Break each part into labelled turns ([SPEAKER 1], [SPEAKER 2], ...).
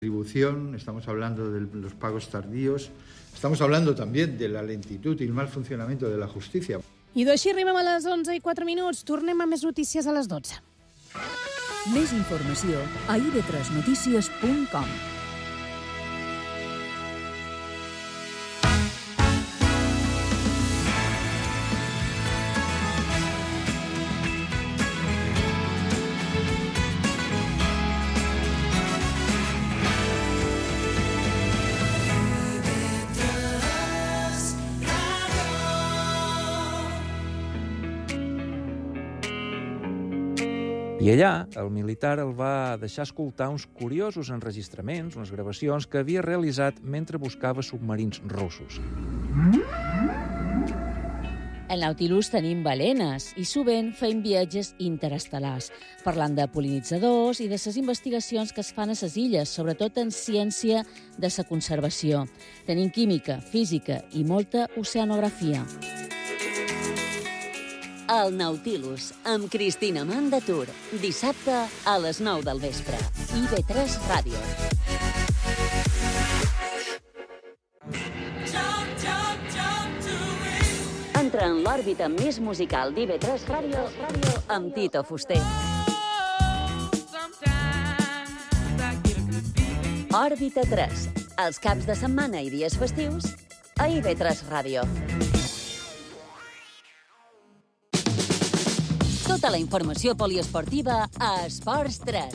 [SPEAKER 1] distribución, estamos hablando de los pagos tardíos, estamos hablando también de la lentitud y el mal funcionamiento de la justicia.
[SPEAKER 2] I d'així arribem a les 11:04. Tornem a més notícies a les 12.
[SPEAKER 3] Més informació a ib3notícies.com.
[SPEAKER 4] I allà, el militar el va deixar escoltar uns curiosos enregistraments, unes gravacions que havia realitzat mentre buscava submarins russos.
[SPEAKER 5] Al Nautilus tenim balenes i sovint fem viatges interestel·lars, parlant de pol·linitzadors i de les investigacions que es fan a les illes, sobretot en ciència de la conservació. Tenim química, física i molta oceanografia. El Nautilus, amb Cristina Mandatur, dissabte a les 9 del vespre. IB3 Ràdio. Entra en l'òrbita més musical d'IB3 Ràdio amb Tito Fuster. Òrbita 3, els caps de setmana i dies festius a IB3 Ràdio. Tota la informació poliesportiva a Esports 3.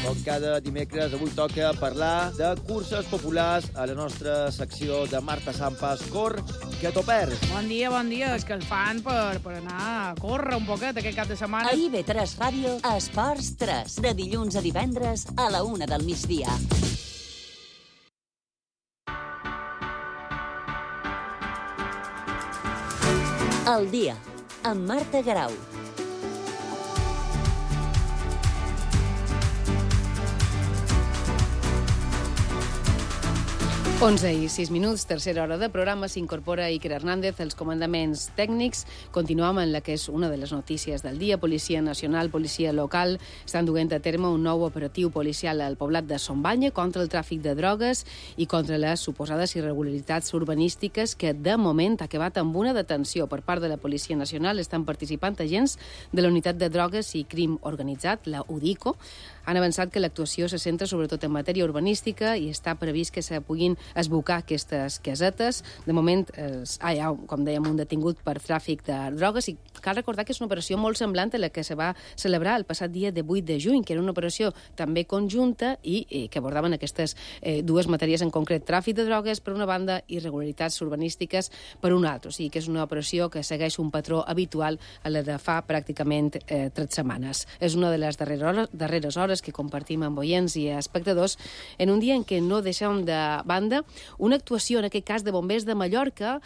[SPEAKER 6] Com cada dimecres, avui toca parlar de curses populars a la nostra secció de Marta Sampas. Cor, que t'ho perds.
[SPEAKER 7] Bon dia. Escalfant per anar a córrer un poquet aquest cap de setmana.
[SPEAKER 5] A IB3 Ràdio, Esports 3, de dilluns a divendres a la 1 del migdia. El dia, amb Marta Garau.
[SPEAKER 2] 11:06, tercera hora de programa, s'incorpora Iker Hernández, els comandaments tècnics. Continuem en la que és una de les notícies del dia. Policia Nacional, policia local, estan duent a terme un nou operatiu policial al poblat de Sombanya contra el tràfic de drogues i contra les suposades irregularitats urbanístiques que, de moment, ha acabat amb una detenció per part de la Policia Nacional. Estan participant agents de la Unitat de Drogues i Crim Organitzat, la UDICO. Han avançat que l'actuació se centra sobretot en matèria urbanística i està previst que se puguin esbocar aquestes casetes. De moment hi ha, com dèiem, un detingut per tràfic de drogues i cal recordar que és una operació molt semblant a la que se va celebrar el passat dia de 8 de juny, que era una operació també conjunta i que abordaven aquestes dues matèries en concret, tràfic de drogues per una banda i irregularitats urbanístiques per una altra. O sigui que és una operació que segueix un patró habitual a la de fa pràcticament 3 setmanes. És una de les darreres hores que compartim amb oients i espectadors en un dia en què no deixem de banda una actuació, en aquest cas de bombers de Mallorca,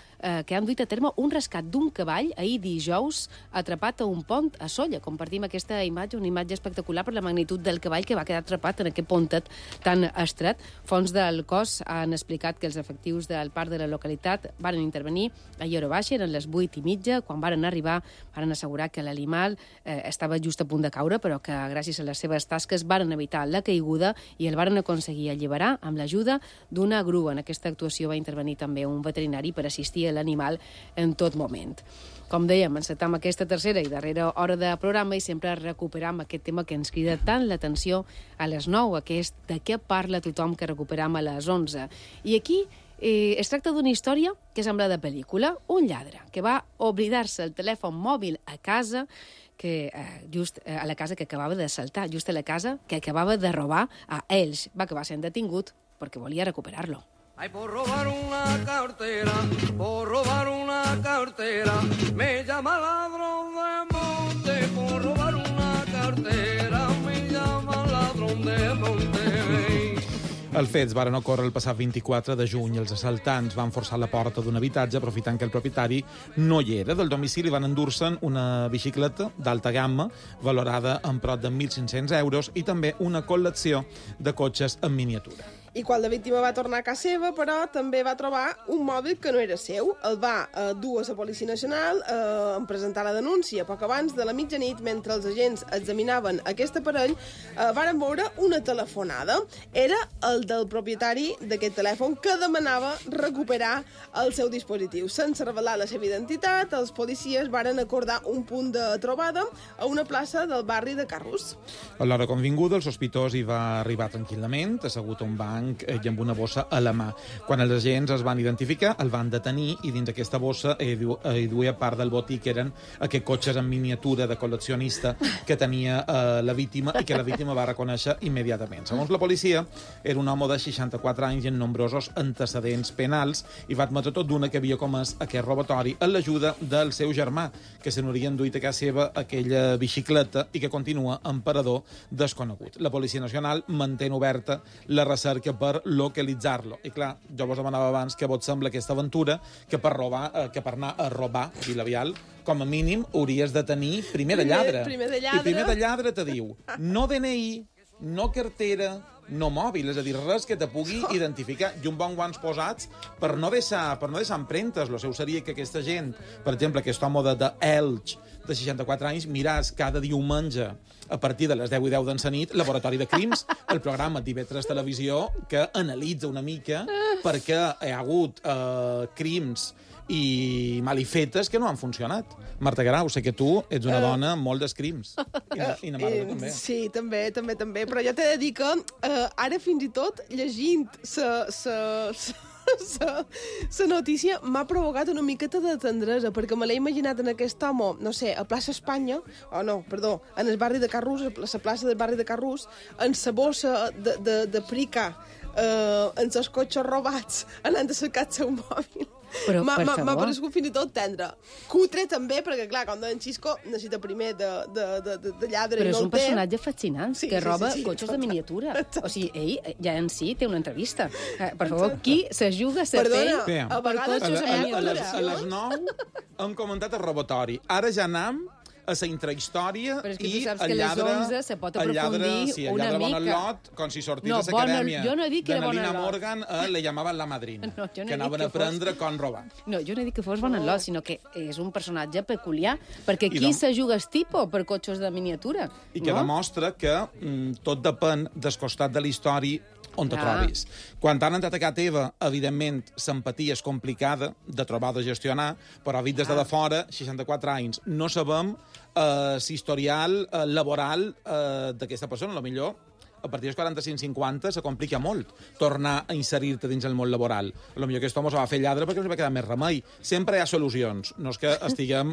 [SPEAKER 2] que han duit a terme un rescat d'un cavall ahir dijous atrapat a un pont a Sóller. Compartim aquesta imatge, una imatge espectacular per la magnitud del cavall que va quedar atrapat en aquest pontet tan estret. Fonts del cos han explicat que els efectius del parc de la localitat van intervenir a hora baixa, eren les 8:30, quan van arribar van assegurar que l'animal estava just a punt de caure, però que gràcies a les seves tasques van evitar la caiguda i el van aconseguir alliberar amb l'ajuda d'una grua. En aquesta actuació va intervenir també un veterinari per assistir a l'animal en tot moment. Com dèiem, encetam aquesta tercera i darrera hora de programa i sempre recuperam aquest tema que ens crida tant l'atenció a les 9, que és de què parla tothom que recuperam a les 11. I aquí es tracta d'una història que sembla de pel·lícula. Un lladre que va oblidar-se el telèfon mòbil a casa, just a la casa que acabava de saltar, just a la casa que acabava de robar a Elx. Va acabar sent detingut perquè volia recuperar-lo.
[SPEAKER 8] Ay, por robar una cartera, me llama ladrón de monte, por robar una cartera, me llama ladrón de monte.
[SPEAKER 9] Els fets varen ocórrer el passat 24 de juny. Els assaltants van forçar la porta d'un habitatge aprofitant que el propietari no hi era. Del domicili van endur-se'n una bicicleta d'alta gamma valorada en prop de 1.500 euros i també una col·lecció de cotxes en miniatura.
[SPEAKER 10] I quan la víctima va tornar a casa seva, però també va trobar un mòbil que no era seu. El va dur a la Policia Nacional en presentar la denúncia. Poc abans de la mitjanit, mentre els agents examinaven aquest aparell, varen veure una telefonada. Era el del propietari d'aquest telèfon que demanava recuperar el seu dispositiu. Sense revelar la seva identitat, els policies varen acordar un punt de trobada a una plaça del barri de Carrús.
[SPEAKER 9] A l'hora convinguda, el sospitós hi va arribar tranquil·lament, assegut a un banc i amb una bossa a la mà. Quan els agents es van identificar, el van detenir i dins d'aquesta bossa hi duia part del botí, que eren aquests cotxes en miniatura de col·leccionista que tenia la víctima i que la víctima va reconèixer immediatament. Segons la policia, era un home de 64 anys i amb nombrosos antecedents penals i va admetre tot d'una que havia comès aquest robatori amb l'ajuda del seu germà, que se n'hauria enduit a casa seva aquella bicicleta i que continua en parador desconegut. La Policia Nacional mantén oberta la recerca per localitzar-lo. I clar, jo vos demanava abans que vos sembla aquesta aventura que per anar a robar Vilavial, com a mínim hauries de tenir primer de lladre. I primer de lladre te diu no DNI, no cartera, no mòbil, és a dir, res que te pugui identificar i un bon guants posats per no deixar empremtes. Lo seu seria que aquesta gent, per exemple, aquest home d'Elx, de 64 anys, miràs cada diumenge a partir de les 10 i 10 d'en nit Laboratori de Crims, el programa d'IV3 Televisió que analitza una mica perquè hi ha hagut crims i malifetes que no han funcionat. Marta Grau, sé que tu ets una dona amb molt d'escrims. I na Marta també.
[SPEAKER 10] Sí, també. Però jo t'he de dir que ara fins i tot llegint la notícia m'ha provocat una miqueta de tendresa, perquè me l'he imaginat en aquest home, no sé, a plaça Espanya, en el barri de Carrús, a la plaça del barri de Carrús, en sa bossa de prica, en els cotxes robats, anant a cercar el seu mòbil. M'ha paregut fins i tot tendre. Cutre també, perquè clar, com deia en Xisco, necessita primer de lladre.
[SPEAKER 2] Però
[SPEAKER 10] és
[SPEAKER 2] un personatge fascinant, que roba cotxes de miniatura. O sigui, ell ja en si té una entrevista. Per favor, qui se juga a pell per cotxes de miniatura?
[SPEAKER 9] A les 9 hem comentat el robatori. Ara ja anam a la intrahistòria i el lladre...
[SPEAKER 2] Però és que tu saps que a les 11 se pot aprofundir una mica.
[SPEAKER 9] Bon lot, com si sortís de l'acadèmia
[SPEAKER 2] de
[SPEAKER 9] Nalina Morgan, le llamaven la madrina, que anaven a aprendre com robar.
[SPEAKER 2] No, jo no he dit que fos bon lot, sinó que és un personatge peculiar, perquè qui se juga el tipus per cotxes de miniatura?
[SPEAKER 9] I que demostra que tot depèn del costat de la història on te trobis. Quan t'han entrat a casa teva, evidentment, l'empatia és complicada de trobar, de gestionar, però vist des de fora, 64 anys, no sabem l'historial laboral d'aquesta persona. Potser a partir dels 45-50 se complica molt tornar a inserir-te dins el món laboral. Potser aquest home se va fer lladre perquè no va quedar més remei. Sempre hi ha solucions. No és que estiguem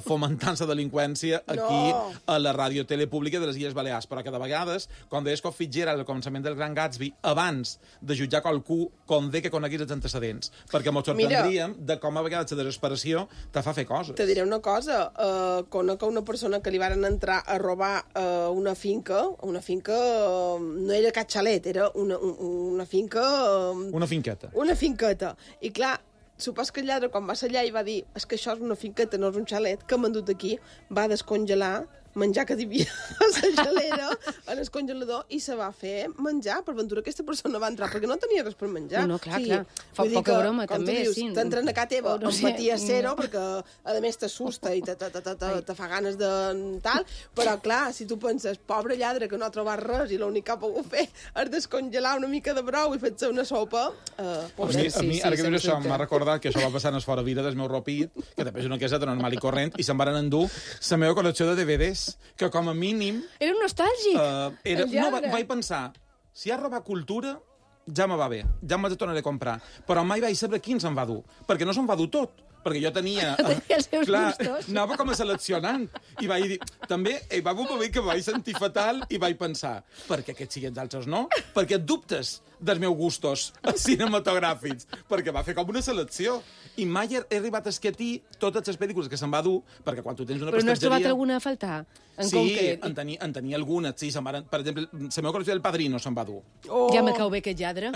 [SPEAKER 9] fomentant la delinqüència aquí a la ràdio telepública de les Illes Balears, però que de vegades, quan deies que Fitzgerald al començament del Gran Gatsby, abans de jutjar qualcú, convé que coneguis els antecedents, perquè ens sorprendríem de com a vegades la desesperació te fa fer coses.
[SPEAKER 10] Te diré una cosa. Conec una persona que li varen entrar a robar una finca no era cap xalet, era una finca...
[SPEAKER 9] Una finqueta.
[SPEAKER 10] Una finqueta. I clar, supos que el lladre, quan va ser allà i va dir és que això és una finqueta, no és un xalet, que m'han dut aquí, va descongelar menjar que hi havia a la gelera, en el congelador, i se va fer menjar. Per ventura aquesta persona va entrar, perquè no tenia res per menjar.
[SPEAKER 2] No, clar. Fa poca broma, també.
[SPEAKER 10] T'entren a casa teva, amb patia zero, perquè a més t'assusta i te fa ganes de tal, però clar, si tu penses, pobre lladre que no ha trobat res i l'únic que ha pogut fer és descongelar una mica de brou i fer-se una sopa,
[SPEAKER 9] pobret. A mi, ara que dius això, m'ha recordat que això va passar en el fora vida del meu ropit, que també és una caseta normal i corrent, i se'n van endur la meva col·lecció de DVDs, que com a mínim...
[SPEAKER 2] Era un nostàlgic,
[SPEAKER 9] vaig pensar, si ha robat cultura, ja me va bé, ja me tornaré a comprar. Però mai vaig saber quin se'n va dur, perquè no se'n va dur tot. Perquè jo tenia... Anava com a seleccionant. I vaig dir... També va haver un moment que vaig sentir fatal i vaig pensar, per què aquests siguin altres no? Perquè et dubtes dels meus gustos cinematogràfics, perquè va fer com una selecció. I mai he arribat a esquetir totes les pel·lícules que se'n va dur, perquè quan tu tens una
[SPEAKER 2] prestatgeria... Però no has trobat alguna a faltar?
[SPEAKER 9] En tenia algunes, sí. Per exemple, la meva col·lecció del Padrino se'n va dur.
[SPEAKER 2] Ja me cau bé aquest lladre.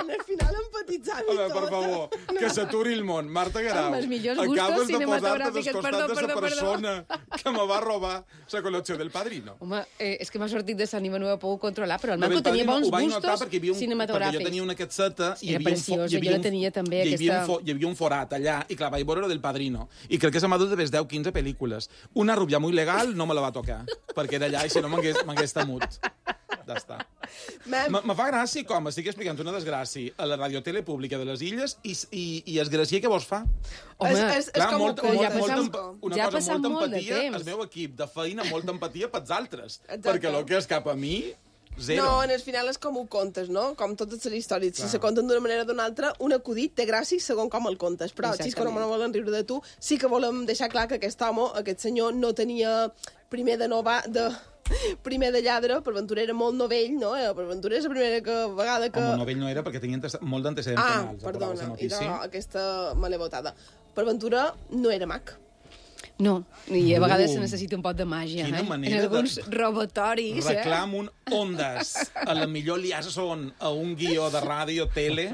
[SPEAKER 10] al final empatitzant i
[SPEAKER 9] Home,
[SPEAKER 10] tot.
[SPEAKER 9] per favor, que s'aturi el món. Marta Garau,
[SPEAKER 2] Amb els millors gustos
[SPEAKER 9] acabes de posar-te
[SPEAKER 2] cinematogràfics.
[SPEAKER 9] descostat de la
[SPEAKER 2] Perdó.
[SPEAKER 9] persona que me va robar la col·lecció del Padrino.
[SPEAKER 2] Home, és que m'ha sortit de l'ànima, no ho he pogut controlar, però el
[SPEAKER 9] No,
[SPEAKER 2] Manco
[SPEAKER 9] del
[SPEAKER 2] tenia
[SPEAKER 9] Padrino
[SPEAKER 2] bons
[SPEAKER 9] ho vaig notar
[SPEAKER 2] gustos
[SPEAKER 9] perquè
[SPEAKER 2] cinematogràfics.
[SPEAKER 9] jo tenia una casseta i
[SPEAKER 2] Era preciosa, jo la tenia també,
[SPEAKER 9] hi
[SPEAKER 2] aquesta...
[SPEAKER 9] havia un forat allà, i clar, vaig veure del Padrino. I crec que se m'ha dut de 10-15 pel·lícules. Una rubia muy legal no me la va tocar, perquè era allà i si no m'hagués temut. Ja està. Me fa gràcia com estic explicant una desgràcia a la radiotele pública de les Illes i es gràcia que vos fa.
[SPEAKER 10] Home, és com
[SPEAKER 9] molta,
[SPEAKER 10] ho
[SPEAKER 9] molta,
[SPEAKER 10] contes.
[SPEAKER 9] una
[SPEAKER 2] ja ha
[SPEAKER 9] cosa,
[SPEAKER 2] passat
[SPEAKER 9] molta
[SPEAKER 2] molt de
[SPEAKER 9] empatia,
[SPEAKER 2] temps.
[SPEAKER 9] el meu equip de feina, molta empatia pels altres.
[SPEAKER 10] Exacte.
[SPEAKER 9] Perquè el que és cap a mi, zero.
[SPEAKER 10] No, en el final és com ho contes, no? Com totes les històries. Si se conten d'una manera o d'una altra, un acudit té gràcia segons com el contes. Però si és que no volen riure de tu, sí que volem deixar clar que aquest home, aquest senyor, no tenia primer de lladre, per Ventura era molt novell, no? Per Ventura és la primera vegada que...
[SPEAKER 9] Home, novell no era perquè tenia molt d'antecedents penals.
[SPEAKER 10] Perdona, idò, aquesta malevotada. Per Ventura no era mag.
[SPEAKER 2] No, i a vegades se necessita un pot de màgia, en alguns robatoris.
[SPEAKER 9] Reclam un Ondas. A la millor liaison a un guió de ràdio, tele,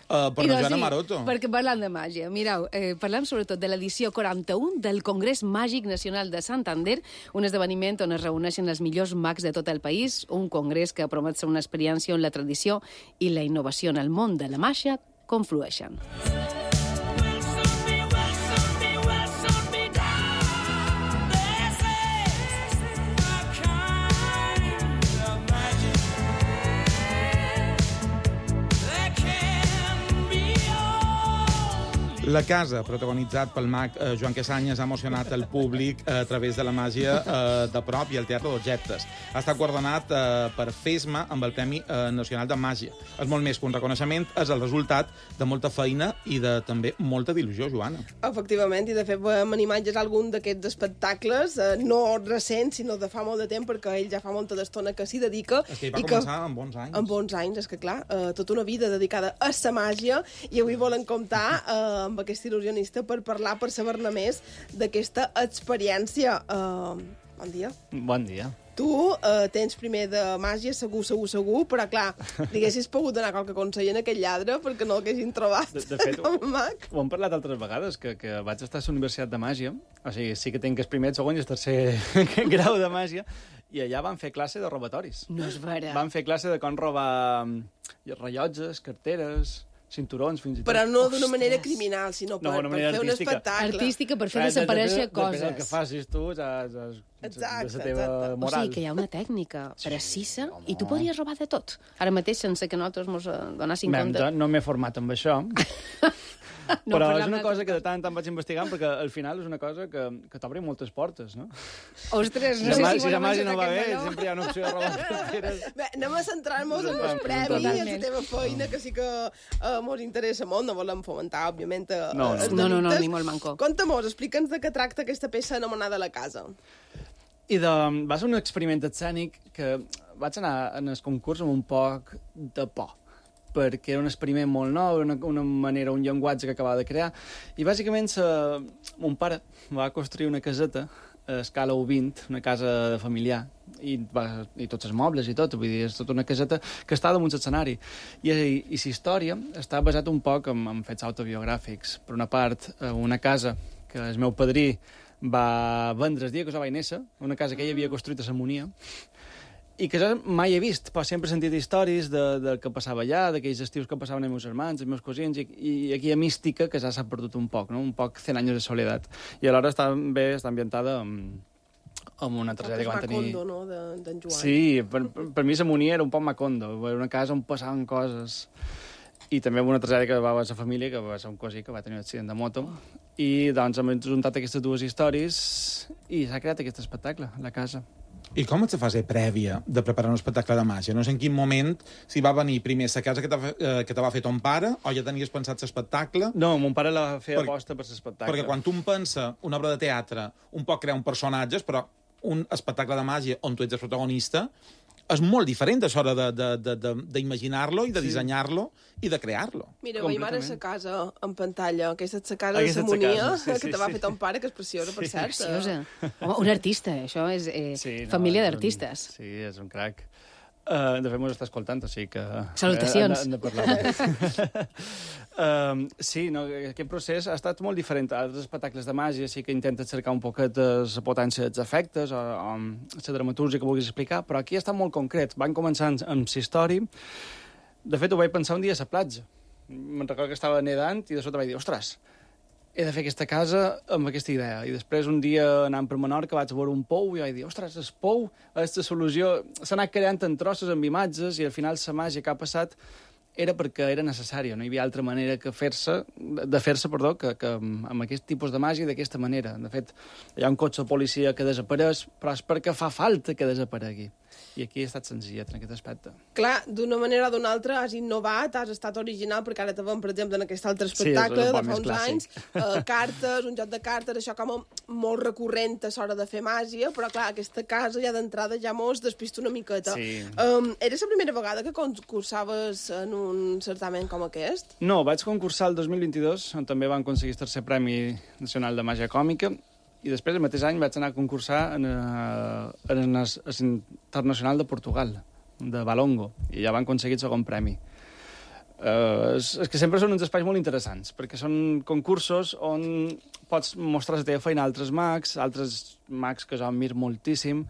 [SPEAKER 9] per la Joana Maroto.
[SPEAKER 2] Perquè parlant de màgia, mireu, parlem sobretot de l'edició 41 del Congrés Màgic Nacional de Santander, un esdeveniment on es reuneixen els millors mags de tot el país, un congrés que promet ser una experiència on la tradició i la innovació en el món de la màgia conflueixen.
[SPEAKER 9] La casa, protagonitzat pel mag Joan Quesanyes, ha emocionat el públic a través de la màgia de prop i el teatre d'objectes. Ha estat guardonat per FESMA amb el Premi Nacional de Màgia. És molt més que un reconeixement, és el resultat de molta feina i de també molta d'il·lusió, Joana.
[SPEAKER 10] Efectivament, i de fet veiem en imatges algun d'aquests espectacles, no recents, sinó de fa molt de temps, perquè ell ja fa molta d'estona que s'hi dedica.
[SPEAKER 9] És que ell va començar amb bons anys.
[SPEAKER 10] Amb bons anys, és que clar, tota una vida dedicada a la màgia, i avui volen comptar amb aquest il·lusionista per parlar, per saber-ne més d'aquesta experiència. Bon dia.
[SPEAKER 11] Bon dia.
[SPEAKER 10] Tu tens primer de màgia, segur, però clar, li haguessis pogut donar qualque consell en aquell lladre perquè no l'haguessin trobat
[SPEAKER 11] de fet,
[SPEAKER 10] com a mag.
[SPEAKER 11] Ho hem parlat altres vegades, que vaig estar a la Universitat de Màgia, o sigui, sí que tinc el primer, el segon i el tercer grau de màgia, i allà van fer classe de robatoris.
[SPEAKER 2] No és vera.
[SPEAKER 11] Van fer classe de com robar rellotges, carteres, cinturons, fins i tot.
[SPEAKER 10] Però no d'una manera criminal, sinó per fer un espectacle.
[SPEAKER 2] Artística, per fer desaparèixer coses.
[SPEAKER 11] Depèn del que facis tu, de la teva moral.
[SPEAKER 2] O sigui que hi ha una tècnica precisa i tu podries robar de tot. Ara mateix, sense que nosaltres ens donéssim compte.
[SPEAKER 11] No m'he format amb això. Però és una cosa que de tant en tant vaig investigant, perquè al final és una cosa que t'obre moltes portes, no?
[SPEAKER 2] Ostres,
[SPEAKER 11] no sé si la màgia no va bé, sempre hi ha una opció de robar carteres.
[SPEAKER 10] Bé, anem a centrar-nos en els premis, en la teva feina, que sí que mos interessa molt, no volem fomentar, òbviament, els delictes.
[SPEAKER 2] No, ni molt manco.
[SPEAKER 10] Conta-mos, explica'ns de què tracta aquesta peça anomenada La Casa.
[SPEAKER 11] Va ser un experiment escènic que vaig anar en el concurs amb un poc de por, perquè era un experiment molt nou, una manera, un llenguatge que acabava de crear. I bàsicament mon pare va construir una caseta a escala 1:20, una casa familiar, i tots els mobles i tot, vull dir, és tota una caseta que està damunt l'escenari. I la història està basat un poc en fets autobiogràfics. Per una part, una casa que el meu padrí va vendre el dia que jo vaig néixer, una casa que ell havia construït a Samonia, i que jo mai he vist, però sempre he sentit històries del que passava allà, d'aquells estius que passaven els meus germans, els meus cosins, i aquella mística que ja s'ha perdut un poc, no? Un poc 100 anys de soledat. I alhora està ambientada amb una tragèdia que van tenir...
[SPEAKER 10] Macondo, no?, d'en Joan.
[SPEAKER 11] Sí, per mi Samonia era un poc Macondo, era una casa on passaven coses. I també una tragèdia que va a la família, que va ser un cosí que va tenir un accident de moto. I doncs hem juntat aquestes dues històries i s'ha creat aquest espectacle, La Casa.
[SPEAKER 9] I com ets la fase prèvia de preparar un espectacle de màgia? No sé en quin moment, si va venir primer la casa que te va fer ton pare, o ja tenies pensat l'espectacle?
[SPEAKER 11] No, mon pare la feia aposta per l'espectacle.
[SPEAKER 9] Perquè quan tu pensa una obra de teatre, un poc crea un personatges, però un espectacle de màgia on tu ets el protagonista, és molt diferent això d'imaginar-lo i de dissenyar-lo i de crear-lo.
[SPEAKER 10] Mira, veiem ara la casa en pantalla. Aquesta és la casa de Samonia, que te va fer ton pare, que és preciosa, per cert.
[SPEAKER 2] Preciosa. Home, un artista, això és família d'artistes.
[SPEAKER 11] Sí, és un crac. De fet, m'ho està escoltant, o sigui que...
[SPEAKER 2] Salutacions.
[SPEAKER 11] Hem de parlar. Sí, no, aquest procés ha estat molt diferent a altres espectacles de màgia, sí que intenta cercar un poquet la potència dels efectes o la dramatúrgia que vulguis explicar, però aquí ha estat molt concret. Van començar amb Sistori. De fet, ho vaig pensar un dia a la platja. Me'n recordo que estava nedant i de sota vaig dir, ostres, he de fer aquesta casa amb aquesta idea. I després, un dia, anant per Menorca, vaig veure un pou i vaig dir, ostres, el pou, aquesta solució... S'ha anat creant en trossos, amb imatges, i al final la màgia que ha passat era perquè era necessària. No hi havia altra manera que fer-se que amb aquest tipus de màgia d'aquesta manera. De fet, hi ha un cotxe de policia que desapareix, però és perquè fa falta que desaparegui. I aquí ha estat senzillet en aquest aspecte.
[SPEAKER 10] Clar, d'una manera o d'una altra has innovat, has estat original, perquè ara te veiem, per exemple, en aquest altre espectacle de fa uns anys, cartes, un joc de cartes, això com molt recurrent a l'hora de fer màgia, però clar, aquesta casa ja d'entrada ja mos despista una miqueta.
[SPEAKER 11] Sí.
[SPEAKER 10] Era la primera vegada que concursaves en un certamen com aquest?
[SPEAKER 11] No, vaig concursar el 2022, on també vam aconseguir el tercer Premi Nacional de Màgia Còmica, i després, el mateix any, vaig anar a concursar en Internacional de Portugal, de Valongo, i ja van aconseguir el segon premi. És que sempre són uns espais molt interessants, perquè són concursos on pots mostrar la teva feina a altres mags que jo admiro moltíssim,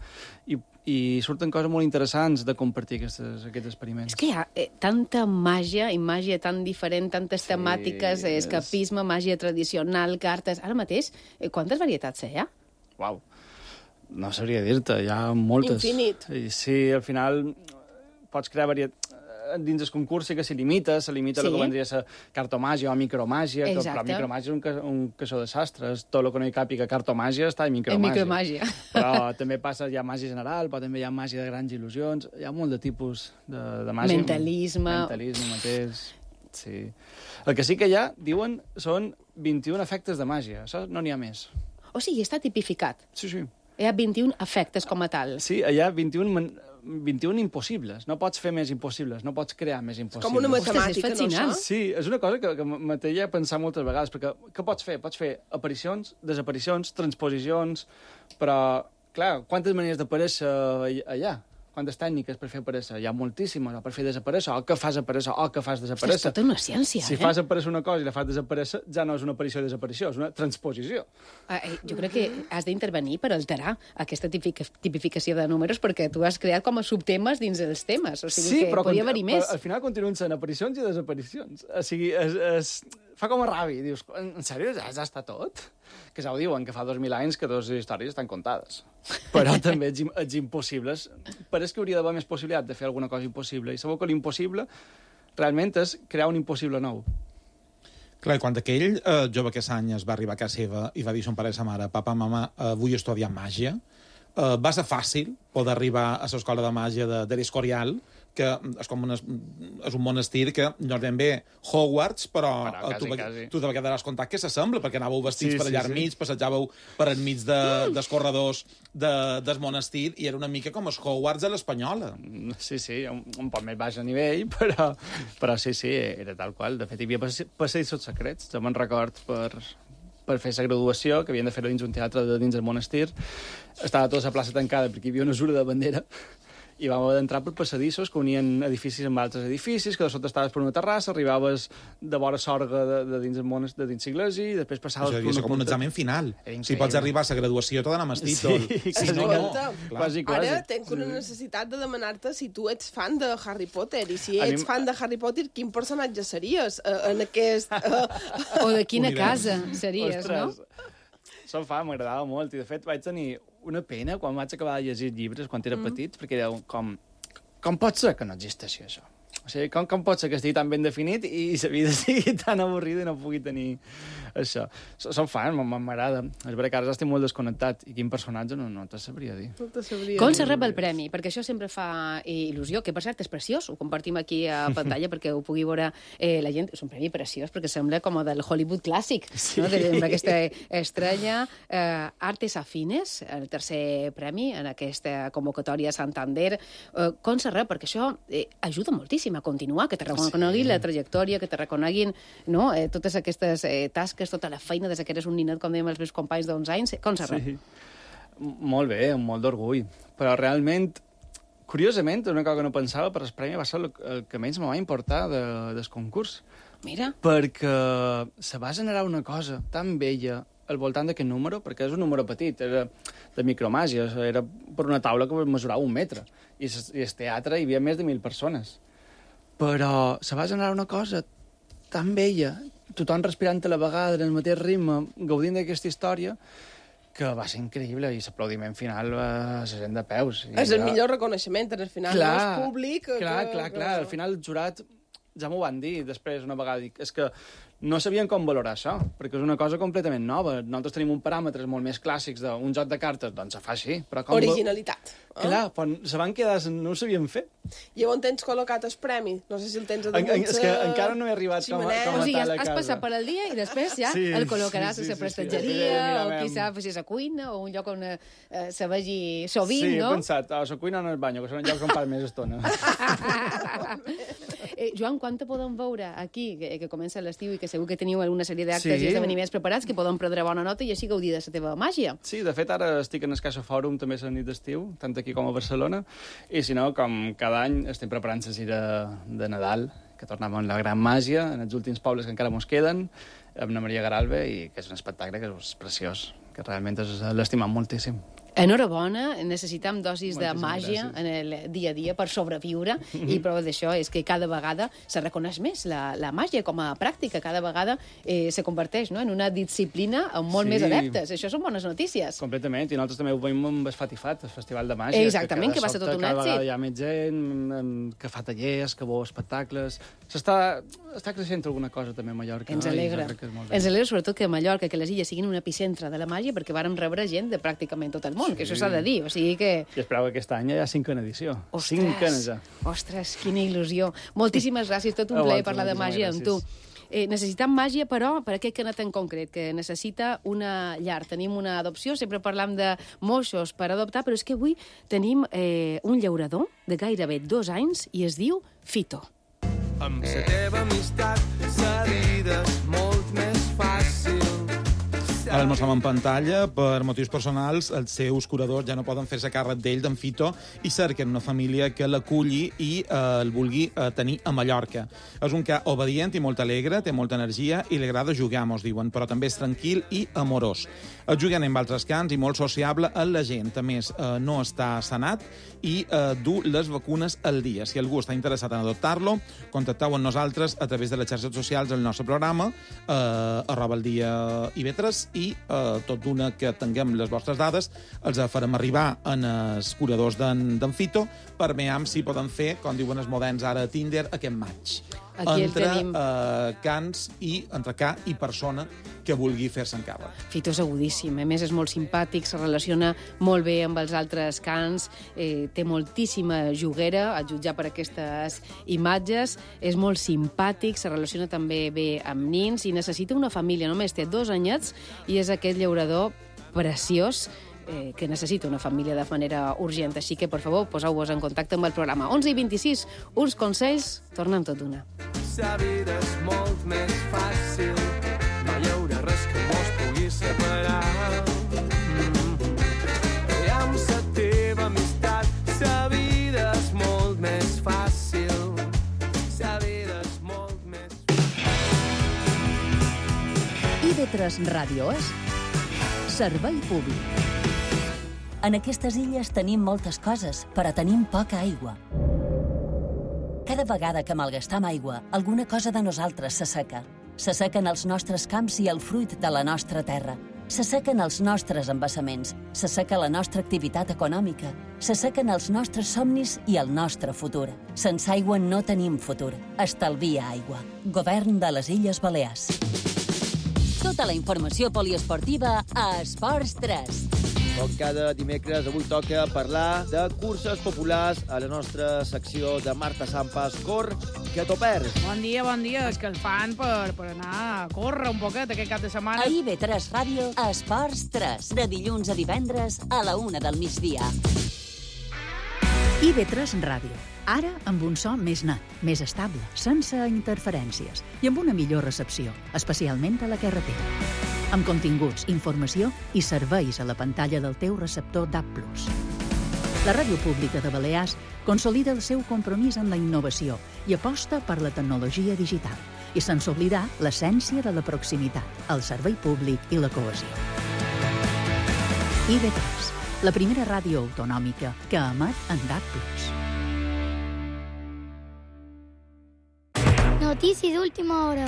[SPEAKER 11] i surten coses molt interessants de compartir aquests experiments.
[SPEAKER 2] És que hi ha tanta màgia, i màgia tan diferent, tantes temàtiques, escapisme, màgia tradicional, cartes... Ara mateix, quantes varietats hi ha?
[SPEAKER 11] Uau, no sabria dir-te, hi ha moltes.
[SPEAKER 10] Infinit.
[SPEAKER 11] I sí, al final pots crear dins el concurs sí que s'hi limita el que vendria a ser cartomàgia o micromàgia, però micromàgia és un caixó de sastres. Tot el que no hi càpiga cartomàgia està en micromàgia. Però també passa, hi ha màgia general, però també hi ha màgia de grans il·lusions, hi ha molt de tipus de màgia.
[SPEAKER 2] Mentalisme
[SPEAKER 11] mateix, sí. El que sí que hi ha, diuen, són 21 efectes de màgia. Això no n'hi ha més.
[SPEAKER 2] O sigui, està tipificat.
[SPEAKER 11] Sí.
[SPEAKER 2] Hi ha 21 efectes com a tal.
[SPEAKER 11] Sí, hi ha 21 impossibles. No pots fer més impossibles, no pots crear més impossibles.
[SPEAKER 10] Com una matemàtica,
[SPEAKER 2] no, això?
[SPEAKER 11] Sí, és una cosa que me feia pensar moltes vegades, perquè què pots fer? Pots fer aparicions, desaparicions, transposicions, però, clar, quantes maneres d'aparèixer allà? Quantes tècniques per fer aparèixer? Hi ha moltíssimes, o per fer desaparèixer, o que fas aparèixer, o que fas desaparèixer.
[SPEAKER 2] És tota una ciència,
[SPEAKER 11] Si fas aparèixer una cosa i la fas desaparèixer, ja no és una aparició i desaparició, és una transposició.
[SPEAKER 2] Jo crec que has d'intervenir per alterar aquesta tipificació de números, perquè tu has creat com a subtemes dins els temes, o sigui que podria haver-hi més.
[SPEAKER 11] Però al final continuen sent aparicions i desaparicions. O sigui, fa com a ràbia. Dius, en sèrio, ja està tot? Que ja ho diuen, que fa 2.000 anys que dues històries estan contades. Però també ets impossibles. Pareix que hauria d'haver més possibilitat de fer alguna cosa impossible. I sabeu que l'impossible realment és crear un impossible nou.
[SPEAKER 9] Clar, quan aquell jove aquest any es va arribar a casa seva i va dir a son pare i sa mare, papa, mama, vull estudiar màgia, va ser fàcil poder arribar a l'escola de màgia de l'Escorial, que és com és un monestir que no és ben bé Hogwarts, però tu te quedaràs comptat que s'assembla, perquè anàveu vestits per allà enmig, passejàveu per enmig dels corredors del monestir, i era una mica com els Hogwarts a l'espanyola.
[SPEAKER 11] Sí, un poc més baix a nivell, però sí, era tal qual. De fet, hi havia passadissos secrets. Jo me'n record per fer la graduació, que havien de fer-ho dins un teatre de dins del monestir. Estava tota la plaça tancada perquè hi havia una usura de bandera, i vam haver d'entrar per passadissos que unien edificis amb altres edificis, que de sota estaves per una terrassa, arribaves de vora sorga de dins l'església, i després passaves per una
[SPEAKER 9] com un examen final. Si pots arribar a la graduació tot amb el títol.
[SPEAKER 10] Ara tenc una necessitat de demanar-te si tu ets fan de Harry Potter, i si ets fan de Harry Potter, quin personatge series en aquest...
[SPEAKER 2] O de quina casa series, no?
[SPEAKER 11] Soc fan, m'agradava molt, i de fet vaig tenir una pena quan vaig acabar de llegir llibres quan era petit, perquè era com pot ser que no existeixi això? O sigui, com pot ser que estigui tan ben definit i la vida sigui tan avorrida i no pugui tenir això? Som fan, m'agrada. És veritat que ara estic molt desconnectat, i quin personatge no te sabria dir.
[SPEAKER 2] Com se rep el premi? Perquè això sempre fa il·lusió, que per cert és preciós, ho compartim aquí a pantalla perquè ho pugui veure la gent. És un premi preciós perquè sembla com del Hollywood clàssic, no? D'aquesta estrella. Artes Afines, el tercer premi en aquesta convocatòria a Santander. Com se rep? Perquè això ajuda moltíssim a continuar, que te reconeguin la trajectòria, que te reconeguin totes aquestes tasques, tota la feina des que eres un ninet, com dèiem els meus companys d'11 anys. Com se rep?
[SPEAKER 11] Molt bé, amb molt d'orgull. Però realment curiosament, una cosa que no pensava, però el premi va ser el que menys me va importar del concurs.
[SPEAKER 2] Mira.
[SPEAKER 11] Perquè se va generar una cosa tan bella al voltant d'aquest número, perquè és un número petit, era de micromàgia, era per una taula que mesurava 1 metre, i el teatre hi havia més de 1.000 persones. Però se va generar una cosa tan bella, tothom respirant a la vegada, en el mateix ritme, gaudint d'aquesta història, que va ser increïble, i l'aplaudiment final va ser gent de peus.
[SPEAKER 10] És el millor reconeixement, al final, no és públic.
[SPEAKER 11] Clar, al final el jurat ja m'ho van dir després una vegada, és que no sabien com valorar això, perquè és una cosa completament nova. Nosaltres tenim un paràmetres molt més clàssics d'un joc de cartes, doncs se fa així. Però com
[SPEAKER 10] originalitat.
[SPEAKER 11] Clar, però se van quedar, no ho sabien fer.
[SPEAKER 10] I on tens col·locat el premi? No sé si el tens a damunt.
[SPEAKER 11] És que encara no he arribat com a tal a casa.
[SPEAKER 2] O sigui, has passat per el dia i després ja el col·locaràs a la prestatgeria, o qui sap si és a cuina, o un lloc on se vegi sovint, no?
[SPEAKER 11] Sí, he pensat, a la cuina o en el bany, que són llocs on pas més estona.
[SPEAKER 2] Joan, quan te podem veure aquí, que comença l'estiu i que segur que teniu alguna sèrie d'actes i esdeveniments preparats, que podem prendre bona nota i així gaudir de la teva màgia?
[SPEAKER 11] Sí, de fet, ara estic en el Caixa Fòrum també la nit d'estiu, tant aquí com a Barcelona, i si no, com cada any estem preparant la gira de Nadal, que tornem amb la gran màgia, en els últims pobles que encara mos queden, amb la Maria Garalbe, i que és un espectacle que és preciós, que realment l'estimam moltíssim.
[SPEAKER 2] Enhorabona, necessitem dosis de màgia en el dia a dia per sobreviure, i prova d'això és que cada vegada se reconeix més la màgia com a pràctica, cada vegada se converteix en una disciplina amb molt més adeptes. Això són bones notícies.
[SPEAKER 11] Completament, i nosaltres també ho veiem amb el Fatifat, el Festival de Màgia.
[SPEAKER 2] Exactament, que va ser tot un èxit.
[SPEAKER 11] Cada vegada hi ha més gent, que fa tallers, que veu espectacles. Està creixent alguna cosa també a Mallorca.
[SPEAKER 2] Ens alegra. Ens alegra sobretot que a Mallorca, que les illes siguin un epicentre de la màgia, perquè vàrem rebre gent de pràcticament tot el món, que això s'ha de dir, o sigui que...
[SPEAKER 11] I esperava que aquest any hi ha 5a edició. 5a ja.
[SPEAKER 2] Ostres, quina il·lusió. Moltíssimes gràcies, tot un plaer parlar de màgia amb tu. Necessitem màgia, però, per aquest canet en concret, que necessita una llar. Tenim una adopció, sempre parlam de moixos per adoptar, però és que avui tenim un llaurador de gairebé 2 anys i es diu Fito.
[SPEAKER 8] Amb la teva amistat, la vida és molt més fàcil.
[SPEAKER 9] Ara el mostrem en pantalla. Per motius personals, els seus curadors ja no poden fer-se càrrec d'ell, d'en Fito, i cerquen una família que l'aculli i el vulgui tenir a Mallorca. És un ca obedient i molt alegre, té molta energia i li agrada jugar, mos diuen, però també és tranquil i amorós. És jugant amb altres cans i molt sociable amb la gent. A més, no està sanat i du les vacunes al dia. Si algú està interessat en adoptar-lo, contacteu amb nosaltres a través de les xarxes socials del nostre programa, @IB3, i tot d'una que tinguem les vostres dades, els farem arribar en els curadors d'en Fito per veure si poden fer, com diuen els moderns ara a Tinder, aquest match.
[SPEAKER 2] Aquí
[SPEAKER 9] entre
[SPEAKER 2] tenim.
[SPEAKER 9] cans i entre ca i persona que vulgui fer-se encàrrec.
[SPEAKER 2] Fito és agudíssim, a més és molt simpàtic, se relaciona molt bé amb els altres cans, té moltíssima juguera, a jutjar per aquestes imatges, és molt simpàtic, se relaciona també bé amb nins i necessita una família, només té 2 anyets i és aquest llaurador preciós que necessita una família de manera urgent. Així que, per favor, poseu-vos en contacte amb el programa. 11:26, uns consells, tornem tot d'una.
[SPEAKER 8] La vida és molt més fàcil, no hi haurà res que mos pugui separar. I amb la teva amistat, la vida és molt més fàcil, la vida és molt més...
[SPEAKER 3] IB3 Ràdio és servei públic.
[SPEAKER 12] En aquestes illes tenim moltes coses, però tenim poca aigua. Cada vegada que malgastam aigua, alguna cosa de nosaltres s'asseca. S'assequen els nostres camps i el fruit de la nostra terra. S'assequen els nostres embassaments, s'asseca la nostra activitat econòmica, s'assequen els nostres somnis i el nostre futur. Sense aigua no tenim futur. Estalvia aigua. Govern de les Illes Balears.
[SPEAKER 5] Tota la informació poliesportiva a Esports 3.
[SPEAKER 6] Com cada dimecres, avui toca parlar de curses populars a la nostra secció de Marta Sampas, Cor, que t'ho perds.
[SPEAKER 7] Bon dia, escalfant per anar a córrer un poquet aquest cap de setmana.
[SPEAKER 5] A IB3 Ràdio, Esports 3, de dilluns a divendres a la 1 del migdia.
[SPEAKER 3] IB3 Ràdio. Ara amb un so més net, més estable, sense interferències i amb una millor recepció, especialment a la carretera. Amb continguts, informació i serveis a la pantalla del teu receptor DAB+. La Ràdio Pública de Balears consolida el seu compromís amb la innovació i aposta per la tecnologia digital. I sense oblidar l'essència de la proximitat, el servei públic i la cohesió. IB3, la primera ràdio autonòmica que emet en DAB+.
[SPEAKER 13] Notícia d'última hora.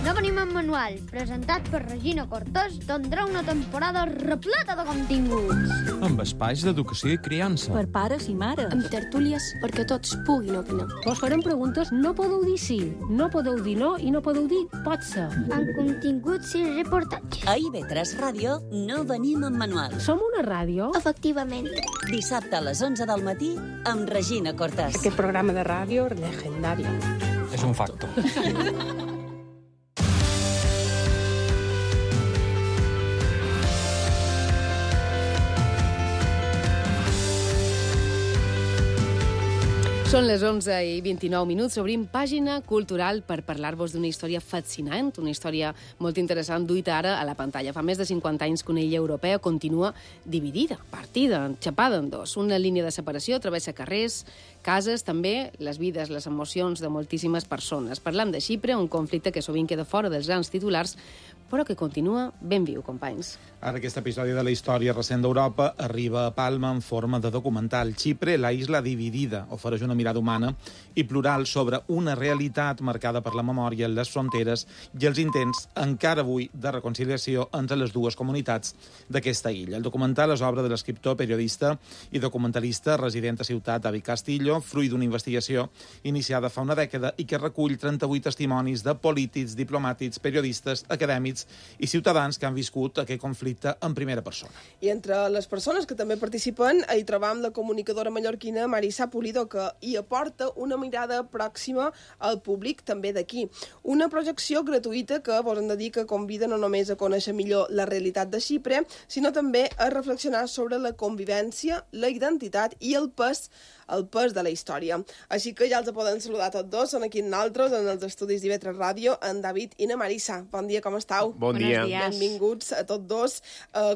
[SPEAKER 13] No venim en manual, presentat per Regina Cortés, tindrà una temporada repleta de continguts.
[SPEAKER 14] Amb espais d'educació i criança.
[SPEAKER 15] Per pares i mares.
[SPEAKER 16] Amb tertúlies perquè tots puguin opinar.
[SPEAKER 17] Vos farem preguntes, no podeu dir sí, no podeu dir no i no podeu dir pot ser.
[SPEAKER 13] Amb continguts i reportatges.
[SPEAKER 12] A IB3 Ràdio no venim en manual.
[SPEAKER 17] Som una ràdio?
[SPEAKER 13] Efectivament.
[SPEAKER 12] Dissabte a les 11 del matí amb Regina Cortés.
[SPEAKER 17] Aquest programa de ràdio legendari.
[SPEAKER 14] És un facto.
[SPEAKER 2] Són les 11:29. Obrim pàgina cultural per parlar-vos d'una història fascinant, una història molt interessant duita ara a la pantalla. Fa més de 50 anys que una illa europea continua dividida, partida, enxapada en dos. Una línia de separació travessa carrers, cases, també les vides, les emocions de moltíssimes persones. Parlam de Xipre, un conflicte que sovint queda fora dels grans titulars, però que continua ben viu, companys.
[SPEAKER 9] Ara aquest episodi de la història recent d'Europa arriba a Palma en forma de documental. Xipre, la isla dividida, ofereix una mirada humana i plural sobre una realitat marcada per la memòria, les fronteres i els intents, encara avui, de reconciliació entre les dues comunitats d'aquesta illa. El documental és obra de l'escriptor, periodista i documentalista resident a ciutat David Castillo, fruit d'una investigació iniciada fa una dècada i que recull 38 testimonis de polítics, diplomàtics, periodistes, acadèmics i ciutadans que han viscut aquest conflicte en primera persona.
[SPEAKER 10] I entre les persones que també participen hi trobam la comunicadora mallorquina Marisa Pulido, que hi aporta una mirada pròxima al públic també d'aquí. Una projecció gratuïta que vos hem de dir que convida no només a conèixer millor la realitat de Xipre, sinó també a reflexionar sobre la convivència, la identitat i el pes de la història. Així que ja els podem saludar tots dos. Són aquí nosaltres, en els estudis d'IB3 Ràdio, en David i na Marisa. Bon dia, com estàu?
[SPEAKER 18] Bon dia.
[SPEAKER 10] Benvinguts a tots dos.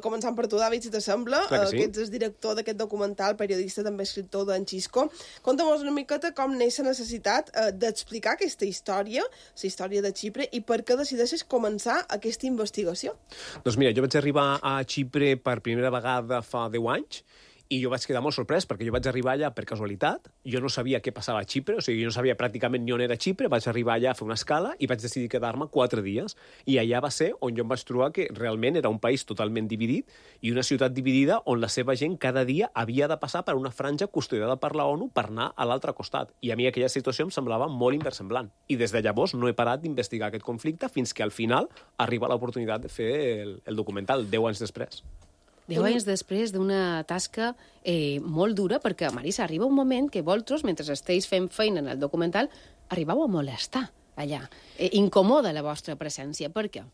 [SPEAKER 10] Començant per tu, David, si t'assembla.
[SPEAKER 18] Sí.
[SPEAKER 10] Que ets el director d'aquest documental, periodista, també escriptor d'en Xisco. Conta'm-nos una miqueta com neix la necessitat d'explicar aquesta història, la història de Xipre, i per què decideixes començar aquesta investigació.
[SPEAKER 18] Doncs mira, jo vaig arribar a Xipre per primera vegada fa 10 anys, i jo vaig quedar molt sorprès perquè jo vaig arribar allà per casualitat, jo no sabia què passava a Xipre, o sigui, jo no sabia pràcticament ni on era Xipre, vaig arribar allà a fer una escala i vaig decidir quedar-me 4 dies, i allà va ser on jo em vaig trobar que realment era un país totalment dividit i una ciutat dividida on la seva gent cada dia havia de passar per una franja custodiada per la ONU per anar a l'altre costat, i a mi aquella situació em semblava molt inversemblant, i des de llavors no he parat d'investigar aquest conflicte fins que al final arriba l'oportunitat de fer el documental, 10 anys després.
[SPEAKER 2] 10 anys després d'una tasca molt dura, perquè, Marisa, arriba un moment que vosaltres, mentre esteu fent feina en el documental, arribeu a molestar allà. Incomoda la vostra presència. ¿Por qué?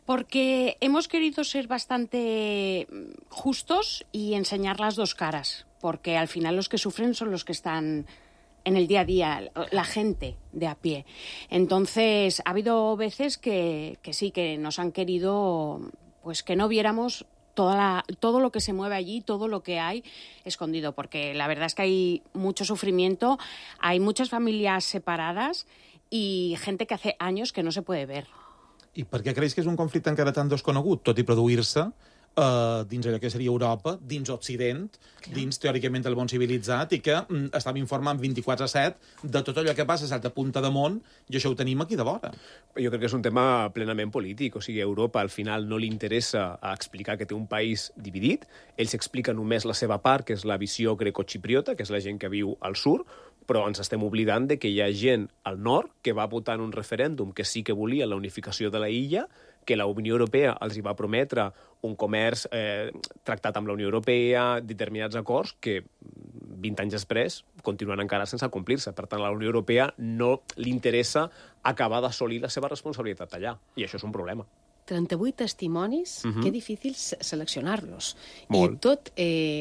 [SPEAKER 19] Porque hemos querido ser bastante justos y enseñar las dos caras, porque al final los que sufren son los que están en el día a día, la gente de a pie. Entonces, ha habido veces que sí, que nos han querido pues que no viéramos todo lo que se mueve allí, todo lo que hay escondido, porque la verdad es que hay mucho sufrimiento, hay muchas familias separadas y gente que hace años que no se puede ver.
[SPEAKER 9] I per què creus que és un conflicte encara tan desconegut, tot i produir-se dins allò que seria Europa, dins Occident, dins, teòricament, el món civilitzat, i que estàvem informant 24/7 de tot allò que passa a certa punta de món, i això ho tenim aquí de vora.
[SPEAKER 18] Jo crec que és un tema plenament polític, o sigui, a Europa al final no li interessa explicar que té un país dividit, ells expliquen només la seva part, que és la visió grecoxipriota, que és la gent que viu al sud, però ens estem oblidant de que hi ha gent al nord que va votar en un referèndum que sí que volia la unificació de la illa, que la Unió Europea els hi va prometre un comerç tractat amb la Unió Europea, determinats acords que 20 anys després continuen encara sense complir-se. Per tant, a la Unió Europea no li interessa acabar d'assolir la seva responsabilitat allà, i això és un problema.
[SPEAKER 2] 38 testimonis, que difícil seleccionar-los.
[SPEAKER 18] Molt.
[SPEAKER 2] I tot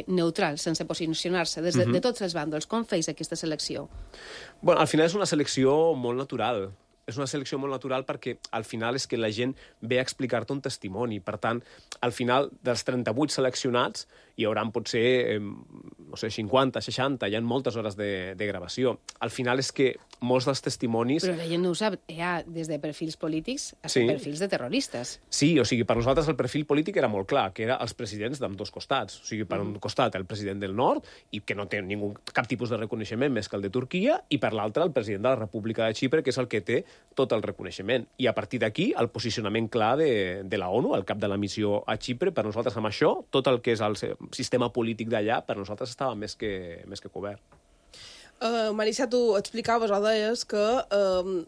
[SPEAKER 2] neutral, sense posicionar-se, des de tots els bàndols. Com feis aquesta selecció?
[SPEAKER 18] Bueno, al final és una selecció molt natural. És una selecció molt natural perquè al final és que la gent ve a explicar-te un testimoni. Per tant, al final, dels 38 seleccionats, hi haurà potser, no sé, 50, 60, hi ha moltes hores de gravació. Al final és que molts dels testimonis...
[SPEAKER 2] Però la gent no ho sap, hi ha des de perfils polítics a perfils de terroristes.
[SPEAKER 18] Sí, o sigui, per nosaltres el perfil polític era molt clar, que era els presidents d'ambdós costats. O sigui, per un costat el president del nord, i que no té cap tipus de reconeixement més que el de Turquia, i per l'altre el president de la República de Xipre, que és el que té tot el reconeixement. I a partir d'aquí, el posicionament clar de la ONU, el cap de la missió a Xipre, per nosaltres amb això, tot el que és el sistema polític d'allà, per nosaltres estava més que cobert.
[SPEAKER 10] Marissa, tu explicaves o deies que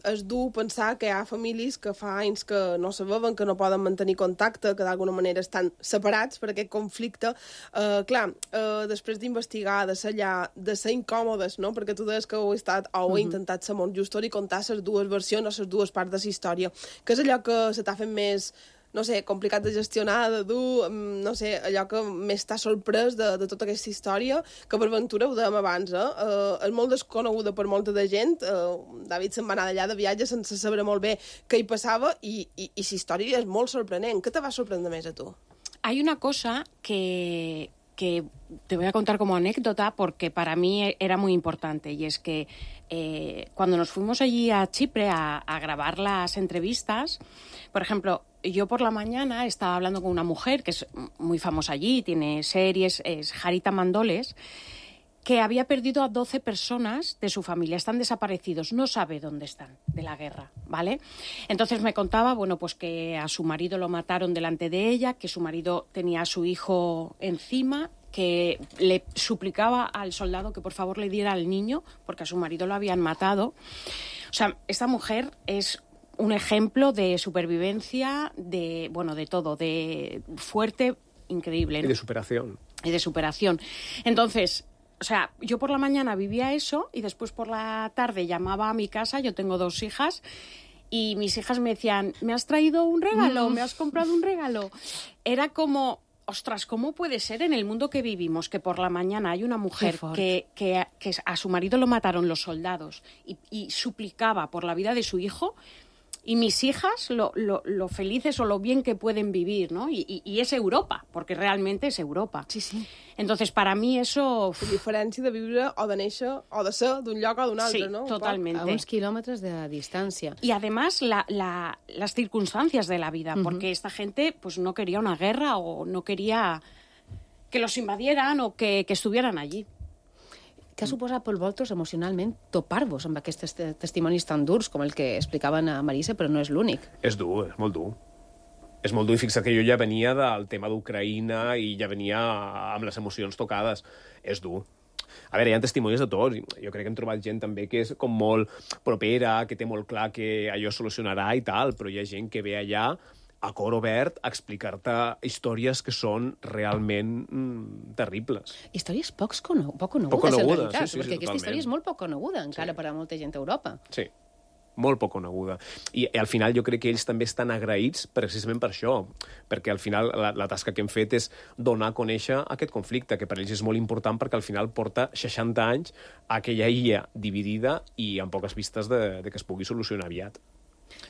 [SPEAKER 10] és dur pensar que hi ha famílies que fa anys que no se veuen, que no poden mantenir contacte, que d'alguna manera estan separats per aquest conflicte. Després d'investigar, de ser allà, de ser incòmodes, no? Perquè tu deies que heu estat o heu intentat ser molt justos i contar les dues versions o les dues parts de la història. Què és allò que se t'ha fet més, no sé, complicat de gestionar, de dur, no sé, allò que més t'ha sorprès de tota aquesta història, que per ventura ho dèiem abans, és molt desconeguda per molta de gent. David se'n va anar d'allà de viatge sense saber molt bé què hi passava i la història és molt sorprenent. Què te va sorprendre més a tu?
[SPEAKER 19] Hay una cosa que te voy a contar como anécdota porque para mí era muy importante, y es que cuando nos fuimos allí a Chipre a grabar las entrevistas, por ejemplo, yo por la mañana estaba hablando con una mujer que es muy famosa allí, tiene series, es Jarita Mandoles, que había perdido a 12 personas de su familia, están desaparecidos, no sabe dónde están de la guerra, ¿vale? Entonces me contaba, bueno, pues que a su marido lo mataron delante de ella, que su marido tenía a su hijo encima, que le suplicaba al soldado que por favor le diera al niño, porque a su marido lo habían matado. O sea, esta mujer es un ejemplo de supervivencia, de todo, de fuerte, increíble, ¿no?
[SPEAKER 18] Y de superación.
[SPEAKER 19] Y de superación. Entonces, o sea, yo por la mañana vivía eso y después por la tarde llamaba a mi casa, yo tengo 2 hijas, y mis hijas me decían, ¿me has traído un regalo? ¿Me has comprado un regalo? Era como, ostras, ¿cómo puede ser en el mundo que vivimos que por la mañana hay una mujer que a su marido lo mataron los soldados y suplicaba por la vida de su hijo? Y mis hijas lo felices o lo bien que pueden vivir, ¿no? Y es Europa, porque realmente es Europa.
[SPEAKER 10] Sí, sí.
[SPEAKER 19] Entonces, para mí eso...
[SPEAKER 10] La diferència de viure o de néixer o de ser d'un lloc o d'un altre,
[SPEAKER 19] sí,
[SPEAKER 10] ¿no?
[SPEAKER 19] Totalmente.
[SPEAKER 2] A uns kilómetros de distancia.
[SPEAKER 19] Y además las circunstancias de la vida, porque esta gente pues no quería una guerra o no quería que los invadieran o que estuvieran allí.
[SPEAKER 2] Què ha suposat per vosaltres emocionalment topar-vos amb aquests testimonis tan durs com el que explicaven a Marissa, però no és l'únic?
[SPEAKER 18] És dur, és molt dur. És molt dur, i fixa't que jo ja venia del tema d'Ucraïna i ja venia amb les emocions tocades. És dur. A veure, hi ha testimonis de tots. Jo crec que hem trobat gent també que és com molt propera, que té molt clar que allò solucionarà i tal, però hi ha gent que ve allà a cor obert a explicar-te històries que són realment terribles.
[SPEAKER 2] Històries poc conegudes, en realitat, perquè aquesta història és molt poc coneguda encara per a molta gent a Europa.
[SPEAKER 18] Sí, molt poc coneguda. I al final jo crec que ells també estan agraïts precisament per això, perquè al final la tasca que hem fet és donar a conèixer aquest conflicte, que per ells és molt important perquè al final porta 60 anys a aquella illa dividida i amb poques vistes de que es pugui solucionar aviat.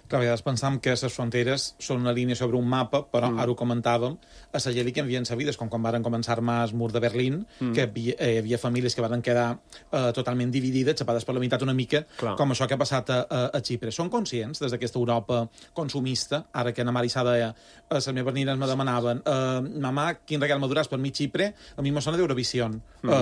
[SPEAKER 9] Clar, a vegades pensam que les fronteres són una línia sobre un mapa, però ara ho comentàvem, a la gent li canvien la vida, com quan van començar a armar el mur de Berlín, que hi havia famílies que van quedar totalment dividides, xapades per la meitat una mica, com això que ha passat a Xipre. Són conscients, des d'aquesta Europa consumista, ara que na Marissa deia, les meves nines me demanaven, mamà, quin regal m'aduràs per mi Xipre? A mi me sona d'Eurovision,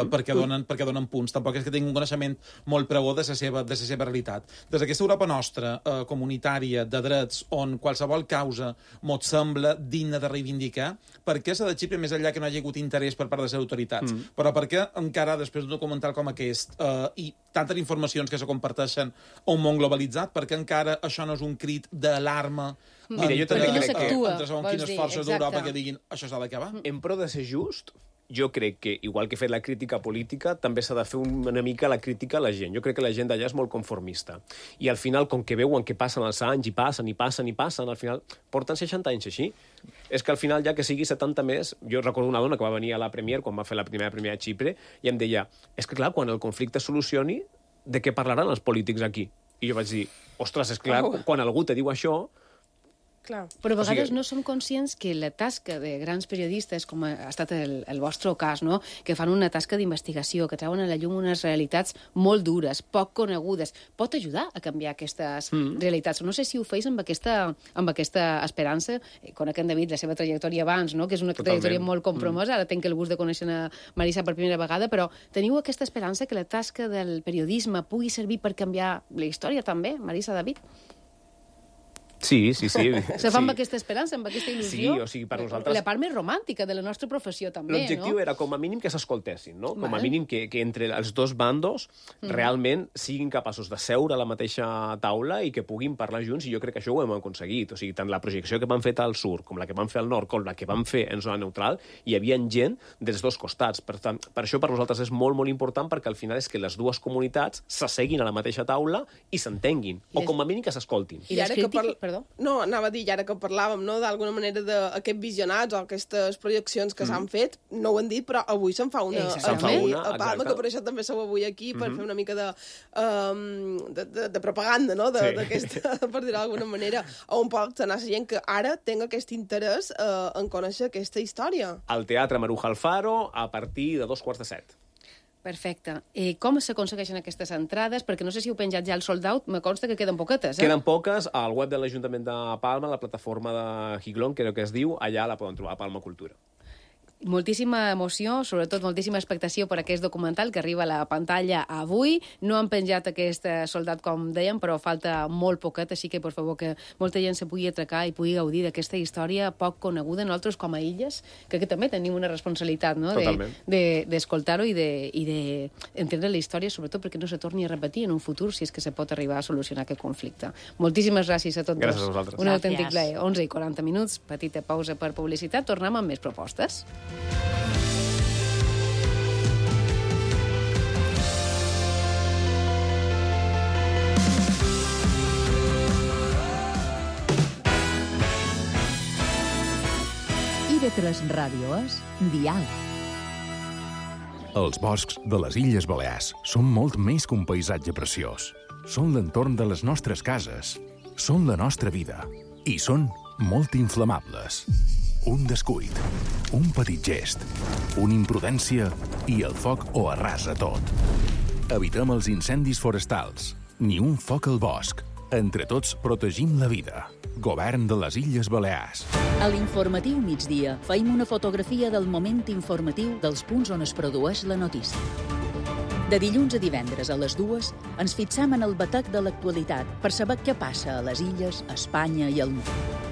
[SPEAKER 9] perquè donen punts. Tampoc és que tingui un coneixement molt prou de la seva realitat. Des d'aquesta Europa nostra, comunitària, de drets, on qualsevol causa mos sembla digna de reivindicar, per què s'ha de Xipre més enllà que no hi ha hagut interès per part de les autoritats? Però per què encara, després d'un documental com aquest, i tantes informacions que se comparteixen a un món globalitzat, per què encara això no és un crit d'alarma entre segons quines forces d'Europa que diguin això s'ha d'acabar?
[SPEAKER 18] En pro de ser just, jo crec que, igual que he fet la crítica política, també s'ha de fer una mica la crítica a la gent. Jo crec que la gent d'allà és molt conformista. I al final, com que veuen que passen els anys i passen, al final porten 60 anys així. És que al final, ja que sigui 70 més... Jo recordo una dona que va venir a la Premier, quan va fer la primera a Xipre, i em deia, és que clar, quan el conflicte es solucioni, de què parlaran els polítics aquí? I jo vaig dir, ostres, és clar, quan algú te diu això,
[SPEAKER 10] Clar.
[SPEAKER 2] Però a vegades no som conscients que la tasca de grans periodistes, com ha estat el vostre cas, no? Que fan una tasca d'investigació, que treuen a la llum unes realitats molt dures, poc conegudes, pot ajudar a canviar aquestes realitats. No sé si ho feis amb aquesta esperança. Conec en David, la seva trajectòria abans, no? Que és una trajectòria molt compromesa. Ara tenc el gust de conèixer a Marisa per primera vegada, però teniu aquesta esperança que la tasca del periodisme pugui servir per canviar la història també, Marisa, David?
[SPEAKER 18] Sí.
[SPEAKER 2] Se fa amb aquesta esperança, amb aquesta il·lusió.
[SPEAKER 18] Sí, o sigui, per nosaltres...
[SPEAKER 2] La part més romàntica de la nostra professió, també, no?
[SPEAKER 18] L'objectiu era, com a mínim, que s'escoltessin, no? Com a mínim que entre els dos bandos realment siguin capaços de seure a la mateixa taula i que puguin parlar junts, i jo crec que això ho hem aconseguit. O sigui, tant la projecció que van fer al sud, com la que van fer al nord, com la que van fer en zona neutral, hi havia gent dels dos costats. Per tant, per això per nosaltres és molt, molt important, perquè al final és que les dues comunitats s'asseguin a la mateixa taula i s'entenguin, o com a mínim que s'escoltin.
[SPEAKER 10] I ara que No, anava a dir, ara que parlàvem, no, d'alguna manera d'aquests visionats o aquestes projeccions que s'han fet, no ho han dit, però avui se'n fa una a Palma, que per això també sou avui aquí, per fer una mica de propaganda, no?, d'aquesta, per dir-ho d'alguna manera, on pot anar la gent que ara tenga aquest interès en conèixer aquesta història.
[SPEAKER 18] Al Teatre Maruja Alfaro, a partir de 6:45.
[SPEAKER 2] Perfecte. Com s'aconsegueixen aquestes entrades? Perquè no sé si heu penjat ja el sold out, me consta que queden poquetes,
[SPEAKER 18] Queden poques. Al web de l'Ajuntament de Palma, la plataforma de Giglón, crec que es diu, allà la poden trobar, a Palma Cultura.
[SPEAKER 2] Moltíssima emoció, sobretot moltíssima expectació per aquest documental que arriba a la pantalla avui. No han penjat aquest soldat, com dèiem, però falta molt poquet, així que, per favor, que molta gent se pugui atracar i pugui gaudir d'aquesta història poc coneguda. Nosaltres, com a Illes, crec que també tenim una responsabilitat, no?, d'escoltar-ho i d'entendre la història, sobretot perquè no se torni a repetir en un futur, si és que se pot arribar a solucionar aquest conflicte. Moltíssimes gràcies a tots.
[SPEAKER 18] Gràcies a vosaltres.
[SPEAKER 2] Un autèntic plaer. 11:40, petita pausa per publicitat. Tornem amb més propostes.
[SPEAKER 3] IB3 Ràdio és diàleg.
[SPEAKER 15] Els boscs de les Illes Balears són molt més que un paisatge preciós. Són l'entorn de les nostres cases, són la nostra vida i són molt inflamables. Un descuit, un petit gest, una imprudència i el foc ho arrasa tot. Evitem els incendis forestals. Ni un foc al bosc. Entre tots protegim la vida. Govern de les Illes Balears.
[SPEAKER 3] A l'informatiu migdia feim una fotografia del moment informatiu dels punts on es produeix la notícia. De dilluns a divendres a les 2 ens fixam en el batec de l'actualitat per saber què passa a les illes, a Espanya i al món.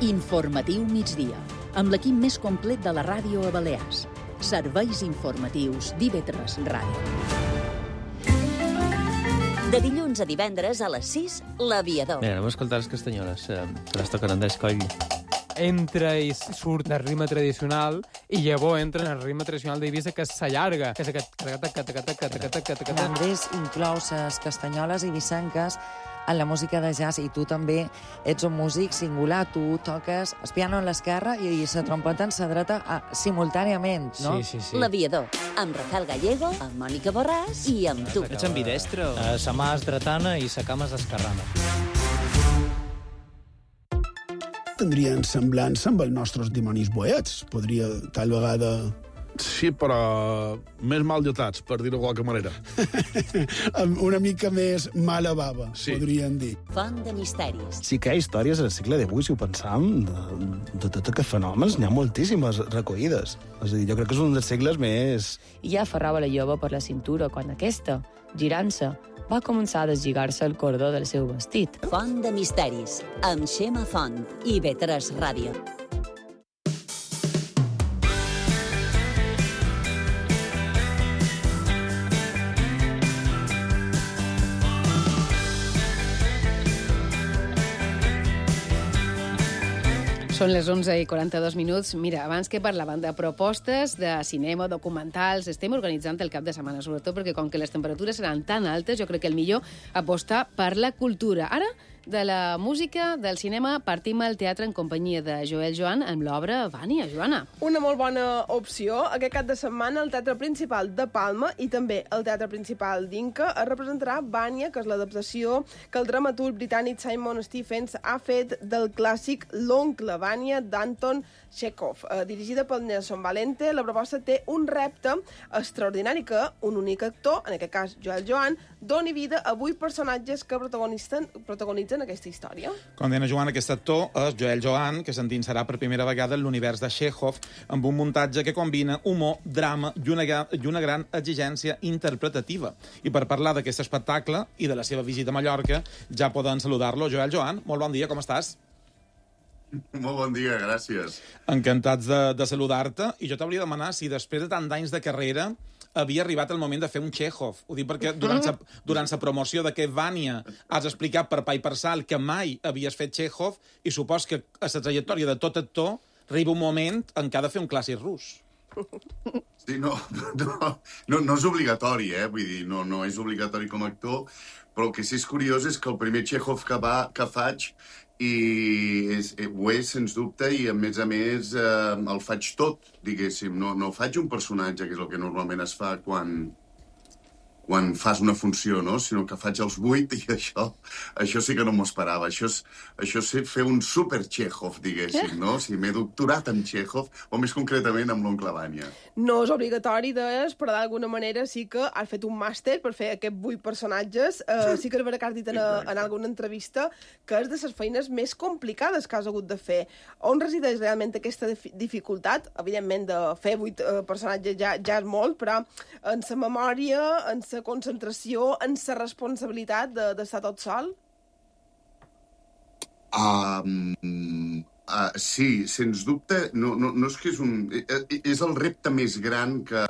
[SPEAKER 3] Informatiu migdia, amb l'equip més complet de la ràdio a Balears. Serveis informatius d'IB3 Ràdio.
[SPEAKER 12] De dilluns a divendres a les 6, l'Aviador.
[SPEAKER 20] Mira, anem a escoltar les castanyoles, que les toquen en d'escoll.
[SPEAKER 21] Entra i surt el ritme tradicional i llavors entra en el ritme tradicional d'Eivissa, que s'allarga, que és aquest...
[SPEAKER 22] Andrés inclou les castanyoles eivissenques en la música de jazz, i tu també ets un músic singular. Tu toques el piano en l'esquerra i la trompeta en la dreta simultàniament, no?
[SPEAKER 20] Sí.
[SPEAKER 12] L'Aviador, amb Rafael Gallego, amb Mònica Borràs i amb tu.
[SPEAKER 20] Ets ambidestre?
[SPEAKER 23] Sa mà és dretana i sa cama és esquerrana.
[SPEAKER 24] Tindrien semblança amb els nostres dimonis boets. Podria, tal vegada...
[SPEAKER 25] Sí, però més mal dotats, per dir-ho de qualque manera.
[SPEAKER 24] Una mica més mala bava, podríem dir.
[SPEAKER 12] Font de misteris.
[SPEAKER 26] Sí que hi ha històries al segle XVIII, si ho pensam, de tots aquests fenòmens, n'hi ha moltíssimes recollides. És a dir, jo crec que és un dels segles més...
[SPEAKER 27] I ja aferrava la jove per la cintura quan aquesta, girant-se, va començar a deslligar-se el cordó del seu vestit.
[SPEAKER 12] Font de misteris, amb Xema Font, IB3 Ràdio.
[SPEAKER 2] Són les 11:42. Mira, abans que parlàvem de propostes de cinema, documentals, estem organitzant el cap de setmana, sobretot perquè com que les temperatures seran tan altes, jo crec que el millor apostar per la cultura. Ara de la música, del cinema, partim al teatre en companyia de Joel Joan amb l'obra Vània. Joana.
[SPEAKER 10] Una molt bona opció. Aquest cap de setmana el Teatre Principal de Palma i també el Teatre Principal d'Inca es representarà Vània, que és l'adaptació que el dramaturg britànic Simon Stephens ha fet del clàssic L'oncle Vània d'Anton Chekhov. Dirigida pel Nelson Valente, la proposta té un repte extraordinari que un únic actor, en aquest cas Joel Joan, doni vida a 8 personatges que protagonitzen aquesta història.
[SPEAKER 9] Com deia Joan, aquest actor és Joel Joan, que s'endinsarà per primera vegada en l'univers de Chekhov amb un muntatge que combina humor, drama i una gran exigència interpretativa. I per parlar d'aquest espectacle i de la seva visita a Mallorca, ja poden saludar-lo. Joel Joan, molt bon dia, com estàs?
[SPEAKER 1] Molt bon dia, gràcies.
[SPEAKER 9] Encantats de saludar-te. I jo t'hauria de demanar si després de tant d'anys de carrera havia arribat el moment de fer un Chekhov. Ho dic perquè durant la promoció d'aquest Vània has explicat per pa i per sal que mai havies fet Chekhov i supos que a la trajectòria de tot actor arriba un moment en què ha de fer un clàssic rus.
[SPEAKER 1] Sí, no és obligatori, vull dir, no és obligatori com a actor, però el que sí és curiós és que el primer Chekhov que faig ho és, sens dubte, i a més el faig tot, diguéssim. No faig un personatge, que és el que normalment es fa quan fas una funció, no? Sinó que faig els 8 i això sí que no m'ho esperava. Això és fer un super Chekhov, diguéssim, no? O sigui, m'he doctorat en Chekhov, o més concretament amb l'oncle Vània.
[SPEAKER 10] No és obligatori, deies, però d'alguna manera sí que has fet un màster per fer aquests 8 personatges. Sí que és veritat que has dit en alguna entrevista que és de les feines més complicades que has hagut de fer. On resideix realment aquesta dificultat? Evidentment, de fer 8 personatges ja és molt, però en la memòria, en la concentració, en la responsabilitat d'estar tot sol?
[SPEAKER 1] Sí, sens dubte. No és que és el repte més gran que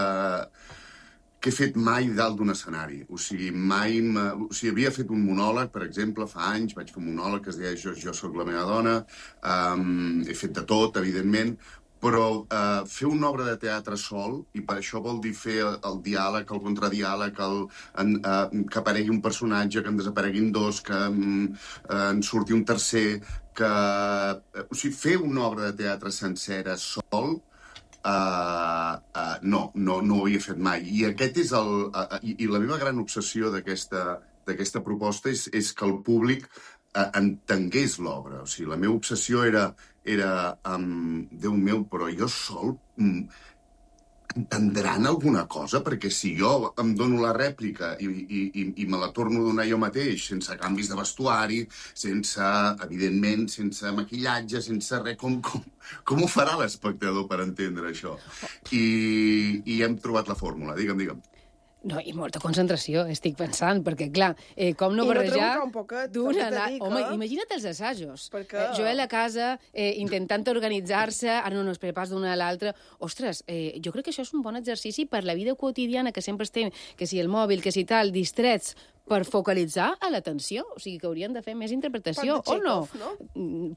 [SPEAKER 1] he fet mai dalt d'un escenari. O sigui, havia fet un monòleg, per exemple, fa anys, vaig fer un monòleg que es deia Jo soc la meva dona, he fet de tot, evidentment, però fer una obra de teatre sol, i per això vol dir fer el diàleg, el contradiàleg, que aparegui un personatge, que en desapareguin dos, que en surti un tercer, o sigui, fer una obra de teatre sencera sol, no ho havia fet mai. I aquest és i la meva gran obsessió d'aquesta proposta és que el públic entengués l'obra. O sigui, la meva obsessió era Déu meu, però jo sol entendran alguna cosa? Perquè si jo em dono la rèplica i me la torno a donar jo mateix, sense canvis de vestuari, evidentment, sense maquillatge, sense res, com ho farà l'espectador per entendre això? I hem trobat la fórmula. Digue'm.
[SPEAKER 2] No, i molta concentració, estic pensant, perquè, clar, com no barrejar d'una... Home, imagina't els assajos. Joel a casa, intentant organitzar-se, ara no es prepars d'una a l'altra. Ostres, jo crec que això és un bon exercici per la vida quotidiana, que sempre estem, que si el mòbil, que si tal, distrets, per focalitzar a l'atenció. O sigui, que haurien de fer més interpretació, o no?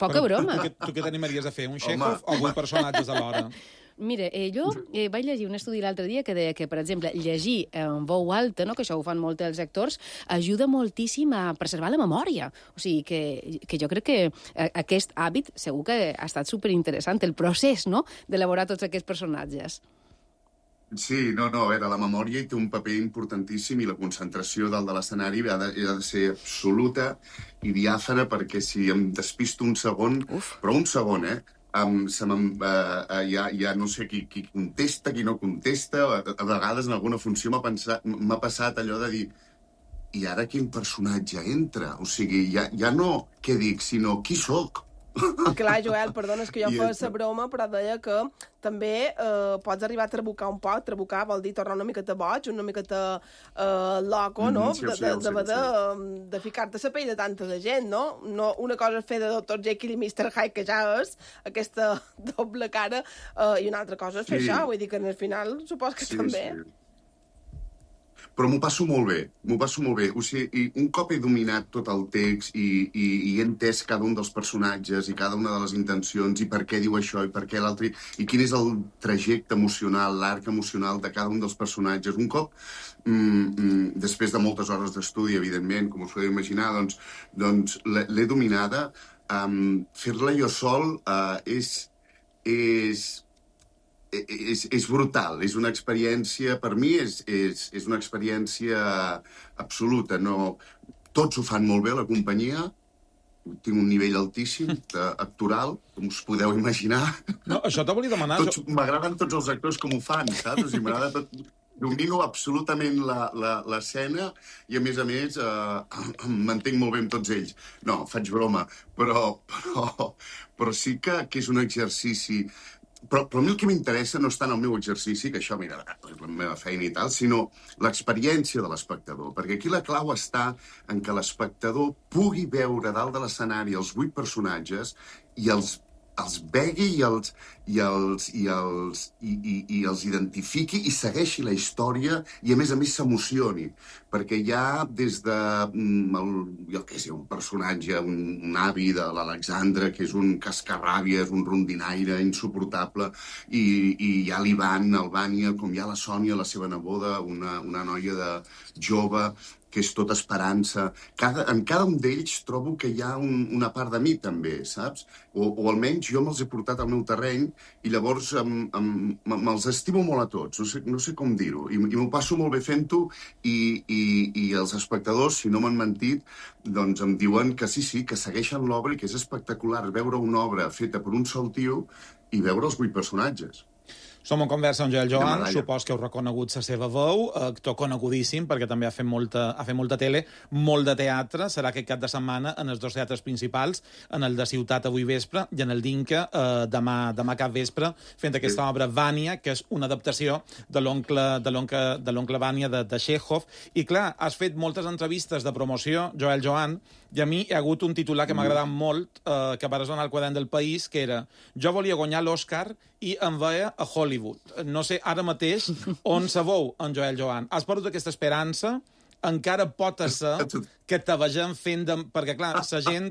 [SPEAKER 2] Poca broma.
[SPEAKER 9] Tu què t'animaries a fer, un Chekhov o 8 personatges alhora?
[SPEAKER 2] Mira, jo vaig llegir un estudi l'altre dia que deia que, per exemple, llegir en veu alta, no, que això ho fan molt els actors, ajuda moltíssim a preservar la memòria. O sigui, que jo crec que aquest hàbit segur que ha estat superinteressant, el procés, no?, d'elaborar tots aquests personatges.
[SPEAKER 1] Sí, a veure, la memòria hi té un paper importantíssim i la concentració dalt de l'escenari ha de ser absoluta i diàfana, perquè si em despisto un segon, però un segon, ja no sé qui contesta, qui no contesta. A vegades en alguna funció m'ha passat allò de dir i ara quin personatge entra? O sigui, ja no què dic, sinó qui sóc.
[SPEAKER 10] Clar, Joel, perdona, és que jo feia la broma, però deia que també pots arribar a trabucar un poc. Trabucar vol dir tornar una miqueta boig, una miqueta loco, no? De ficar-te a la pell de tanta de gent, no? Una cosa és fer de Dr. Jekyll i Mr. Hyde, que ja és aquesta doble cara, i una altra cosa és fer això. Vull dir que al final supos que també...
[SPEAKER 1] Però m'ho passo molt bé. O sigui, un cop he dominat tot el text i he entès cada un dels personatges i cada una de les intencions i per què diu això i per què l'altre, i quin és el trajecte emocional, l'arc emocional de cada un dels personatges. Un cop, després de moltes hores d'estudi, evidentment, com us podeu imaginar, doncs l'he dominada. Fer-la jo sol és brutal, és una experiència, per mi és una experiència absoluta. No, tots ho fan molt bé, la companyia, tinc un nivell altíssim actoral, com us podeu imaginar.
[SPEAKER 9] No, això t'ho volia demanar.
[SPEAKER 1] M'agraden tots els actors com ho fan, saps? O sigui, m'agrada tot... Domino absolutament l'escena i, a més, m'entenc molt bé amb tots ells. No, faig broma, però sí que és un exercici... Però a mi el que m'interessa no és tant el meu exercici, que això, mira, és la meva feina i tal, sinó l'experiència de l'espectador. Perquè aquí la clau està en que l'espectador pugui veure dalt de l'escenari els 8 personatges i els vegui i els identifiqui i segueixi la història i, a més s'emocioni. Perquè hi ha des de, jo què sé, un personatge, un avi de l'Alexandra, que és un cascarràbia, és un rondinaire insuportable, i hi ha l'Ivan, el Vània, com hi ha la Sònia, la seva neboda, una noia jove, que és tota esperança. En cada un d'ells trobo que hi ha una part de mi, també, saps? O almenys jo me'ls he portat al meu terreny i llavors me'ls estimo molt a tots. No sé com dir-ho. I m'ho passo molt bé fent-ho i els espectadors, si no m'han mentit, doncs em diuen que sí, que segueixen l'obra i que és espectacular veure una obra feta per un sol tio i veure els 8 personatges.
[SPEAKER 9] Som en conversa amb Joel Joan, supos que heu reconegut la seva veu, actor conegudíssim, perquè també ha fet molta tele, molt de teatre, serà aquest cap de setmana en els 2 teatres principals, en el de Ciutat avui vespre i en el d'Inca demà cap vespre, fent aquesta obra Vània, que és una adaptació de l'oncle Vània de Chekhov. I clar, has fet moltes entrevistes de promoció, Joel Joan, i a mi hi ha hagut un titular que m'ha agradat molt, que va resonar al quadern del País, que era: jo volia guanyar l'Oscar i em veia a Hollywood. No sé ara mateix on se veu en Joel Joan. Has perdut aquesta esperança? Encara pot ser que te vegem fent de... Perquè, clar, la gent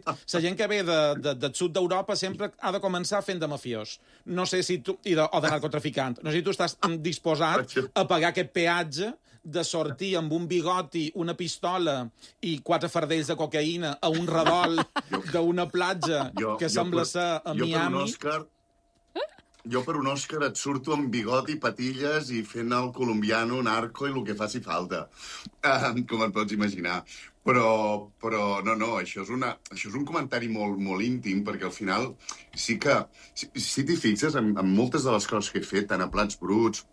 [SPEAKER 9] que ve del sud d'Europa sempre ha de començar fent de mafiós. No sé si tu... o de narcotraficant. No sé si tu estàs disposat a pagar aquest peatge de sortir amb un bigoti, una pistola i 4 fardells de cocaïna a un redol d'una platja que sembla ser a Miami.
[SPEAKER 1] Jo per un Òscar et surto amb bigoti, patilles i fent el colombiano, narco i el que faci falta, com et pots imaginar. Però no, això és un comentari molt íntim, perquè al final sí que, si t'hi fixes, en moltes de les coses que he fet, tant a Plats Bruts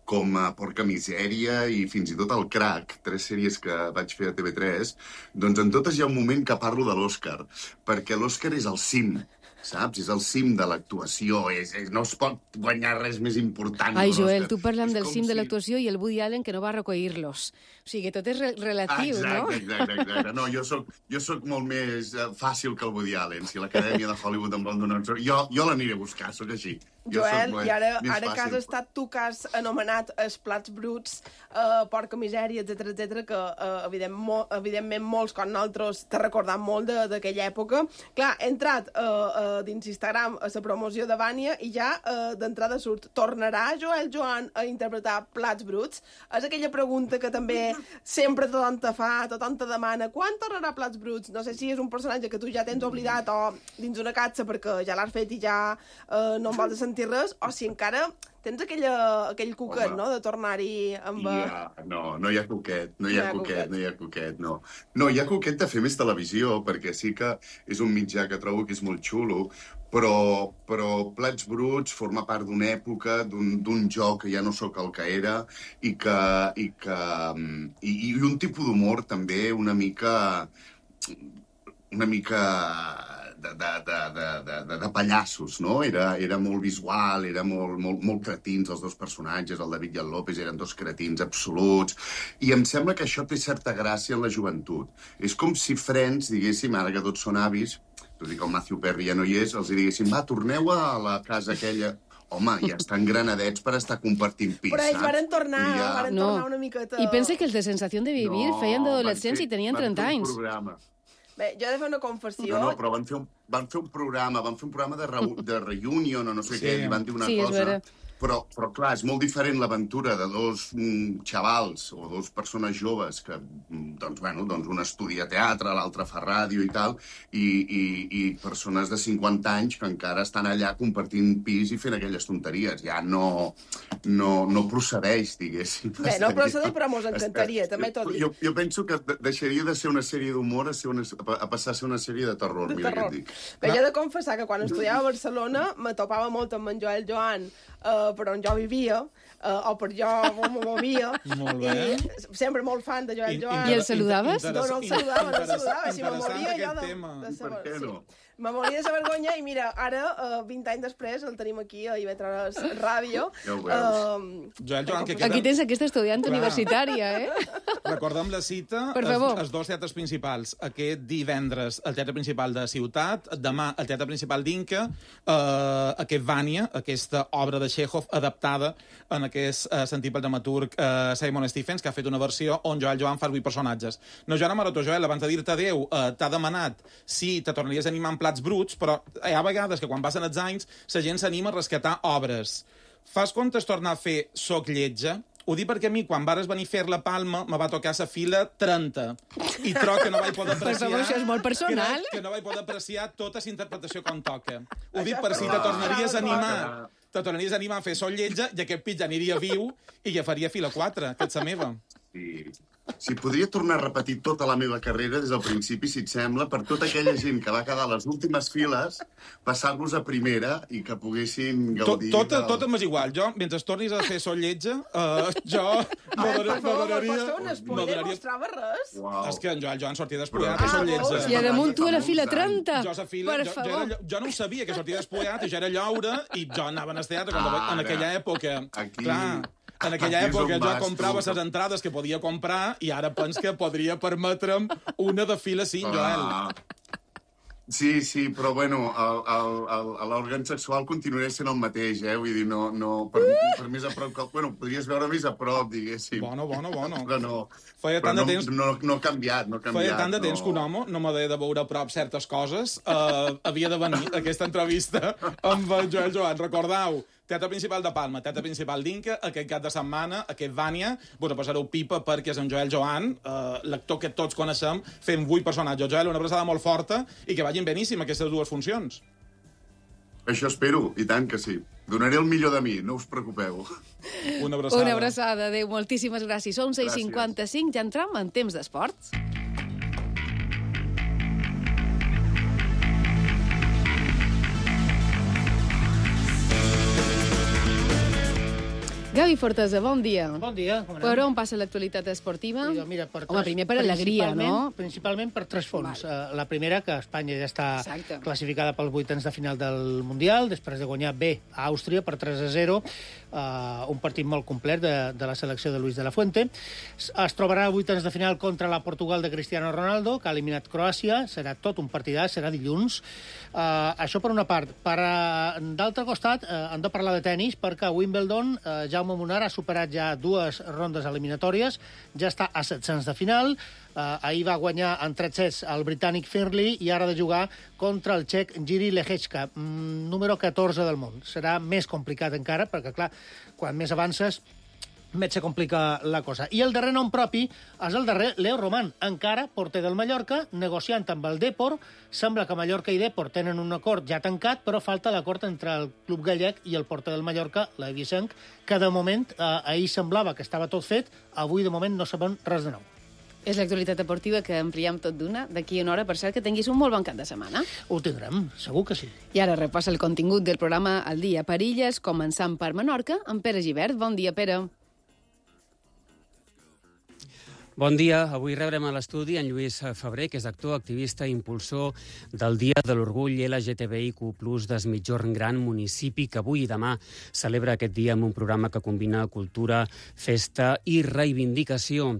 [SPEAKER 1] com a Porca Misèria i fins i tot el Crac, 3 sèries que vaig fer a TV3, doncs en totes hi ha un moment que parlo de l'Òscar, perquè l'Òscar és el cim, saps? És el cim de l'actuació, no es pot guanyar res més important.
[SPEAKER 2] Ai, Joel, tu parlant del cim de l'actuació i el Woody Allen que no va recollir-los. O sigui, que tot és relatiu, no?
[SPEAKER 1] Exacte. No, jo soc molt més fàcil que el Woody Allen. Si l'Acadèmia de Hollywood em vol donar... Jo l'aniré a buscar, soc així.
[SPEAKER 10] Joel, i ara que has estat tu que has anomenat els Plats Bruts, Porca Misèria, etc, que evidentment molts com nosaltres t'ha recordat molt d'aquella època. Clar, he entrat dins Instagram a la promoció de Vània i ja d'entrada surt: tornarà Joel Joan a interpretar Plats Bruts? És aquella pregunta que també sempre tothom te fa, tothom te demana: quan tornarà Plats Bruts? No sé si és un personatge que tu ja tens oblidat o dins una capsa perquè ja l'has fet i ja no en vols sentir res, o si encara tens aquell cuquet, no?, de tornar-hi amb...
[SPEAKER 1] No hi ha cuquet, no hi ha cuquet. No, hi ha cuquet de fer més televisió, perquè sí que és un mitjà que trobo que és molt xulo, però Plats Bruts forma part d'una època, d'un joc que ja no sóc el que era, i un tipus d'humor també una mica de pallassos, no? Era molt visual, era molt cretins, els 2 personatges, el David i el López, eren 2 cretins absoluts, i em sembla que això té certa gràcia en la joventut. És com si Friends, diguéssim, ara que tots són avis, tot i que el Matthew Perry ja no hi és, els diguéssim: va, torneu a la casa aquella home, ja estan granadets per estar compartint pis,
[SPEAKER 10] Però ells varen tornar una miqueta...
[SPEAKER 2] I pensa que els de Sensación de Vivir feien d'adolescents i tenien 30 anys.
[SPEAKER 10] Bé, jo he de fer una confessió...
[SPEAKER 1] No, però van fer un programa de reunion o no sé què, i van dir una cosa... Però, clar, és molt diferent l'aventura de dos xavals o dos persones joves que, doncs, un estudia teatre, l'altre fa ràdio i tal, i persones de 50 anys que encara estan allà compartint pis i fent aquelles tonteries. Ja no procedeix, diguéssim.
[SPEAKER 10] Bé, no procedeix, però mos encantaria, també t'ho dic.
[SPEAKER 1] Jo penso que deixaria de ser una sèrie d'humor a passar a ser una sèrie de terror, mira què et dic.
[SPEAKER 10] Bé, jo he de confessar que quan estudiava a Barcelona me topava molt amb en Joel Joan, per on jo vivia, o per jo m'ho movia.
[SPEAKER 9] Molt bé.
[SPEAKER 10] I sempre molt fan de Joel Joan.
[SPEAKER 2] I el saludaves?
[SPEAKER 10] No el saludava. Si me moria jo de saber. Per què no? Me moria de vergonya i mira, ara, 20 anys després, el tenim aquí a IB3 Ràdio.
[SPEAKER 1] Ja ho veus.
[SPEAKER 9] Joel Joan, que
[SPEAKER 2] Aquí tens aquesta estudiant universitària,
[SPEAKER 9] Recorda'm la cita, els dos teatres principals. Aquest divendres, el Teatre Principal de Ciutat, demà, el Teatre Principal d'Inca, aquest Vània, aquesta obra de Chekhov adaptada en aquest sentit pel dramaturg Simon Stephens, que ha fet una versió on Joel Joan fa 8 personatges. No, Joana Maroto, Joel, abans de dir-te adéu, t'ha demanat si te tornaries a animar en plats bruts, però hi ha vegades que quan passen els anys la gent s'anima a rescatar obres. Fas comptes tornar a fer Soc lletja? Ho dic perquè a mi, quan vares venir a fer la Palma, me va tocar la fila 30. I troc que no vaig poder apreciar...
[SPEAKER 2] Per favor, això és molt personal.
[SPEAKER 9] Que no vaig poder apreciar tota la interpretació com toca. Ho dic per si te tornaries a animar. Te tornaries a animar a fer Soc lletja i aquest pit ja aniria viu i ja faria fila 4, que ets la meva.
[SPEAKER 1] Si podria tornar a repetir tota la meva carrera des del principi, si et sembla, per tota aquella gent que va quedar a les últimes files, passar-los a primera i que poguessin gaudir...
[SPEAKER 9] Tot m'és igual. Jo, mentre tornis a fer Soc lletja, jo m'adoraria...
[SPEAKER 10] No mostrava res.
[SPEAKER 9] És que en Joel Joan sortia despullat a Soc lletja.
[SPEAKER 2] I a damunt tu a la fila 30.
[SPEAKER 9] Jo no ho sabia, que sortia despullat, i jo era llaure, i jo anava al teatre en aquella època. Clar... En aquella època jo comprava les entrades que podia comprar i ara pens que podria permetre'm una de fila 5, Joel.
[SPEAKER 1] Sí, però bueno, l'òrgan sexual continuarà sent el mateix, Vull dir, per més a prop que... Bueno, podries veure més a prop, diguéssim.
[SPEAKER 9] Bueno.
[SPEAKER 1] Però no.
[SPEAKER 9] Feia tant de temps...
[SPEAKER 1] No ha canviat.
[SPEAKER 9] Feia tant de temps que un home no m'ha de veure a prop certes coses. Havia de venir a aquesta entrevista amb el Joel Joan. Recordeu, Teatre Principal de Palma, Teatre Principal d'Inca, aquest cap de setmana, aquest Vània, passareu pipa perquè és en Joel Joan, l'actor que tots coneixem, fent 8 personatges. Joel, una abraçada molt forta i que vagin beníssim aquestes 2 funcions.
[SPEAKER 1] Això espero, i tant que sí. Donaré el millor de mi, no us preocupeu.
[SPEAKER 9] Una abraçada.
[SPEAKER 2] Una abraçada, adéu, moltíssimes gràcies. Són 6:55, ja entram en temps d'esports. Gavi Fortesa, bon dia.
[SPEAKER 4] Bon dia.
[SPEAKER 2] Per on passa l'actualitat esportiva?
[SPEAKER 4] Mira,
[SPEAKER 2] primer per alegria, no?
[SPEAKER 4] Principalment per 3 fronts. La primera, que Espanya ja està classificada pels 8 de final del Mundial, després de guanyar bé a Àustria per 3-0, un partit molt complet de la selecció de Luis de la Fuente. Es trobarà a 8 de final contra la Portugal de Cristiano Ronaldo, que ha eliminat Croàcia. Serà tot un partidàs, serà dilluns. Això per una part. D'altre costat, hem de parlar de tennis, perquè a Wimbledon Jaume Munar ha superat ja 2 rondes eliminatòries, ja està a 700 de final. Ahir va guanyar en 3 sets el britànic Findlay i ara ha de jugar contra el txec Jiří Lehečka, número 14 del món. Serà més complicat encara, perquè, clar, quan més avances, més se complica la cosa. I el darrer nom propi és el darrer Leo Roman, encara porter del Mallorca, negociant amb el Depor. Sembla que Mallorca i Depor tenen un acord ja tancat, però falta l'acord entre el club gallec i el porter del Mallorca, l'Evisenc, que de moment, ahir semblava que estava tot fet, avui de moment no sabem res de nou.
[SPEAKER 2] És l'actualitat deportiva que ampliem tot d'una. D'aquí una hora, per cert, que tinguis un molt bon cap de setmana.
[SPEAKER 4] Ho tindrem, segur que sí.
[SPEAKER 2] I ara repassa el contingut del programa El dia per Illes, començant per Menorca, amb Pere Gibert. Bon dia, Pere.
[SPEAKER 5] Bon dia. Avui rebrem a l'estudi en Lluís Febrer, que és actor, activista i impulsor del Dia de l'Orgull LGTBIQ+ des Migjorn Gran, municipi que avui i demà celebra aquest dia amb un programa que combina cultura, festa i reivindicació.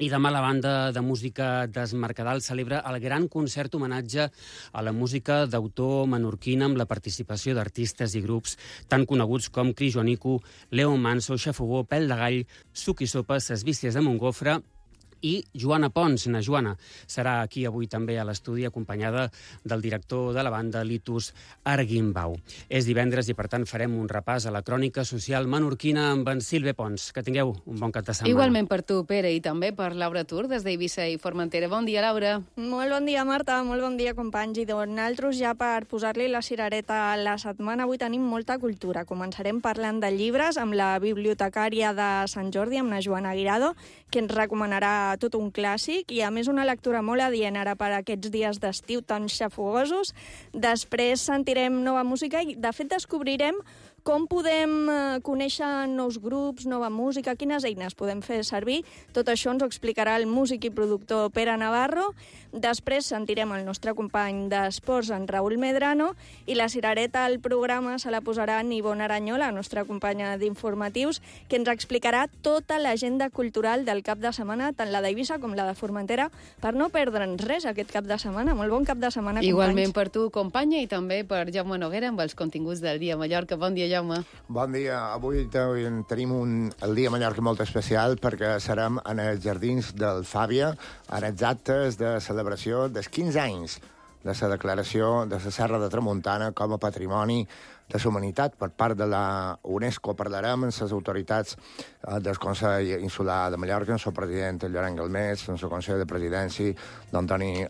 [SPEAKER 5] I demà la banda de música d'Esmercadal celebra el gran concert homenatge a la música d'autor menorquina amb la participació d'artistes i grups tan coneguts com Cris Joanico, Leo Manso, Xafogó, Pèl de Gall, Suc i Sopa, Ses Vícies de Montgofre i Joana Pons. Na Joana serà aquí avui també a l'estudi, acompanyada del director de la banda, Litus Arguimbau. És divendres i, per tant, farem un repàs a la crònica social menorquina amb en Silve Pons. Que tingueu un bon cap de setmana.
[SPEAKER 2] Igualment per tu, Pere, i també per Laura Tur, des d'Eivissa i Formentera. Bon dia, Laura.
[SPEAKER 6] Molt bon dia, Marta. Molt bon dia, companys. I nosaltres, ja per posar-li la cirereta a la setmana, avui tenim molta cultura. Començarem parlant de llibres amb la bibliotecària de Sant Jordi, amb la Joana Guirado, que ens recomanarà tot un clàssic i, a més, una lectura molt adient ara per aquests dies d'estiu tan xafogosos. Després sentirem nova música i, de fet, descobrirem com podem conèixer nous grups, nova música, quines eines podem fer servir. Tot això ens ho explicarà el músic i productor Pere Navarro. Després sentirem el nostre company d'esports, en Raül Medrano, i la cirereta al programa se la posarà en Ivonne Aranyó, la nostra companya d'informatius, que ens explicarà tota l'agenda cultural del cap de setmana, tant la d'Eivissa com la de Formentera, per no perdre'ns res aquest cap de setmana. Molt bon cap de setmana, companys.
[SPEAKER 2] Igualment per tu, companya, i també per Jaume Noguera amb els continguts del Dia Mallorca. Bon dia, Jaume.
[SPEAKER 7] Bon dia. Avui tenim el Dia Mallorca molt especial perquè serem en els jardins del Fàbia, en els actes de celebració dels 15 anys de la declaració de la Serra de Tramuntana com a Patrimoni de la Humanitat per part de la UNESCO. Parlarem amb les autoritats del Consell Insular de Mallorca, amb el president Llorenç Galmés, amb el Consell de Presidència d'Antoni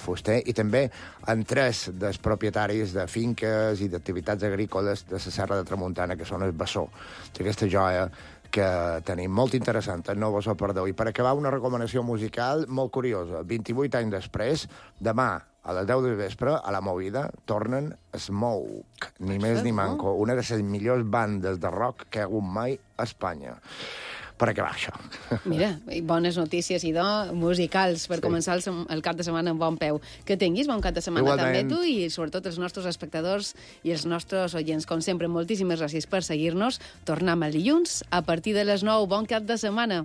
[SPEAKER 7] Fuster, i també amb 3 dels propietaris de finques i d'activitats agrícoles de la Serra de Tramuntana, que són el bessó d'aquesta joia que tenim molt interessant, no vos ho perdeu. I per acabar, una recomanació musical molt curiosa. 28 anys després, demà, a les 10 del vespre, a la Movida, tornen Smoke, ni més ni manco, una de les millors bandes de rock que hi ha hagut mai a Espanya. Per acabar això.
[SPEAKER 2] Mira, bones notícies, idò, musicals, per començar el cap de setmana amb bon peu. Que tinguis bon cap de setmana també tu i sobretot els nostres espectadors i els nostres oients. Com sempre, moltíssimes gràcies per seguir-nos. Tornem el dilluns a partir de les 9. Bon cap de setmana.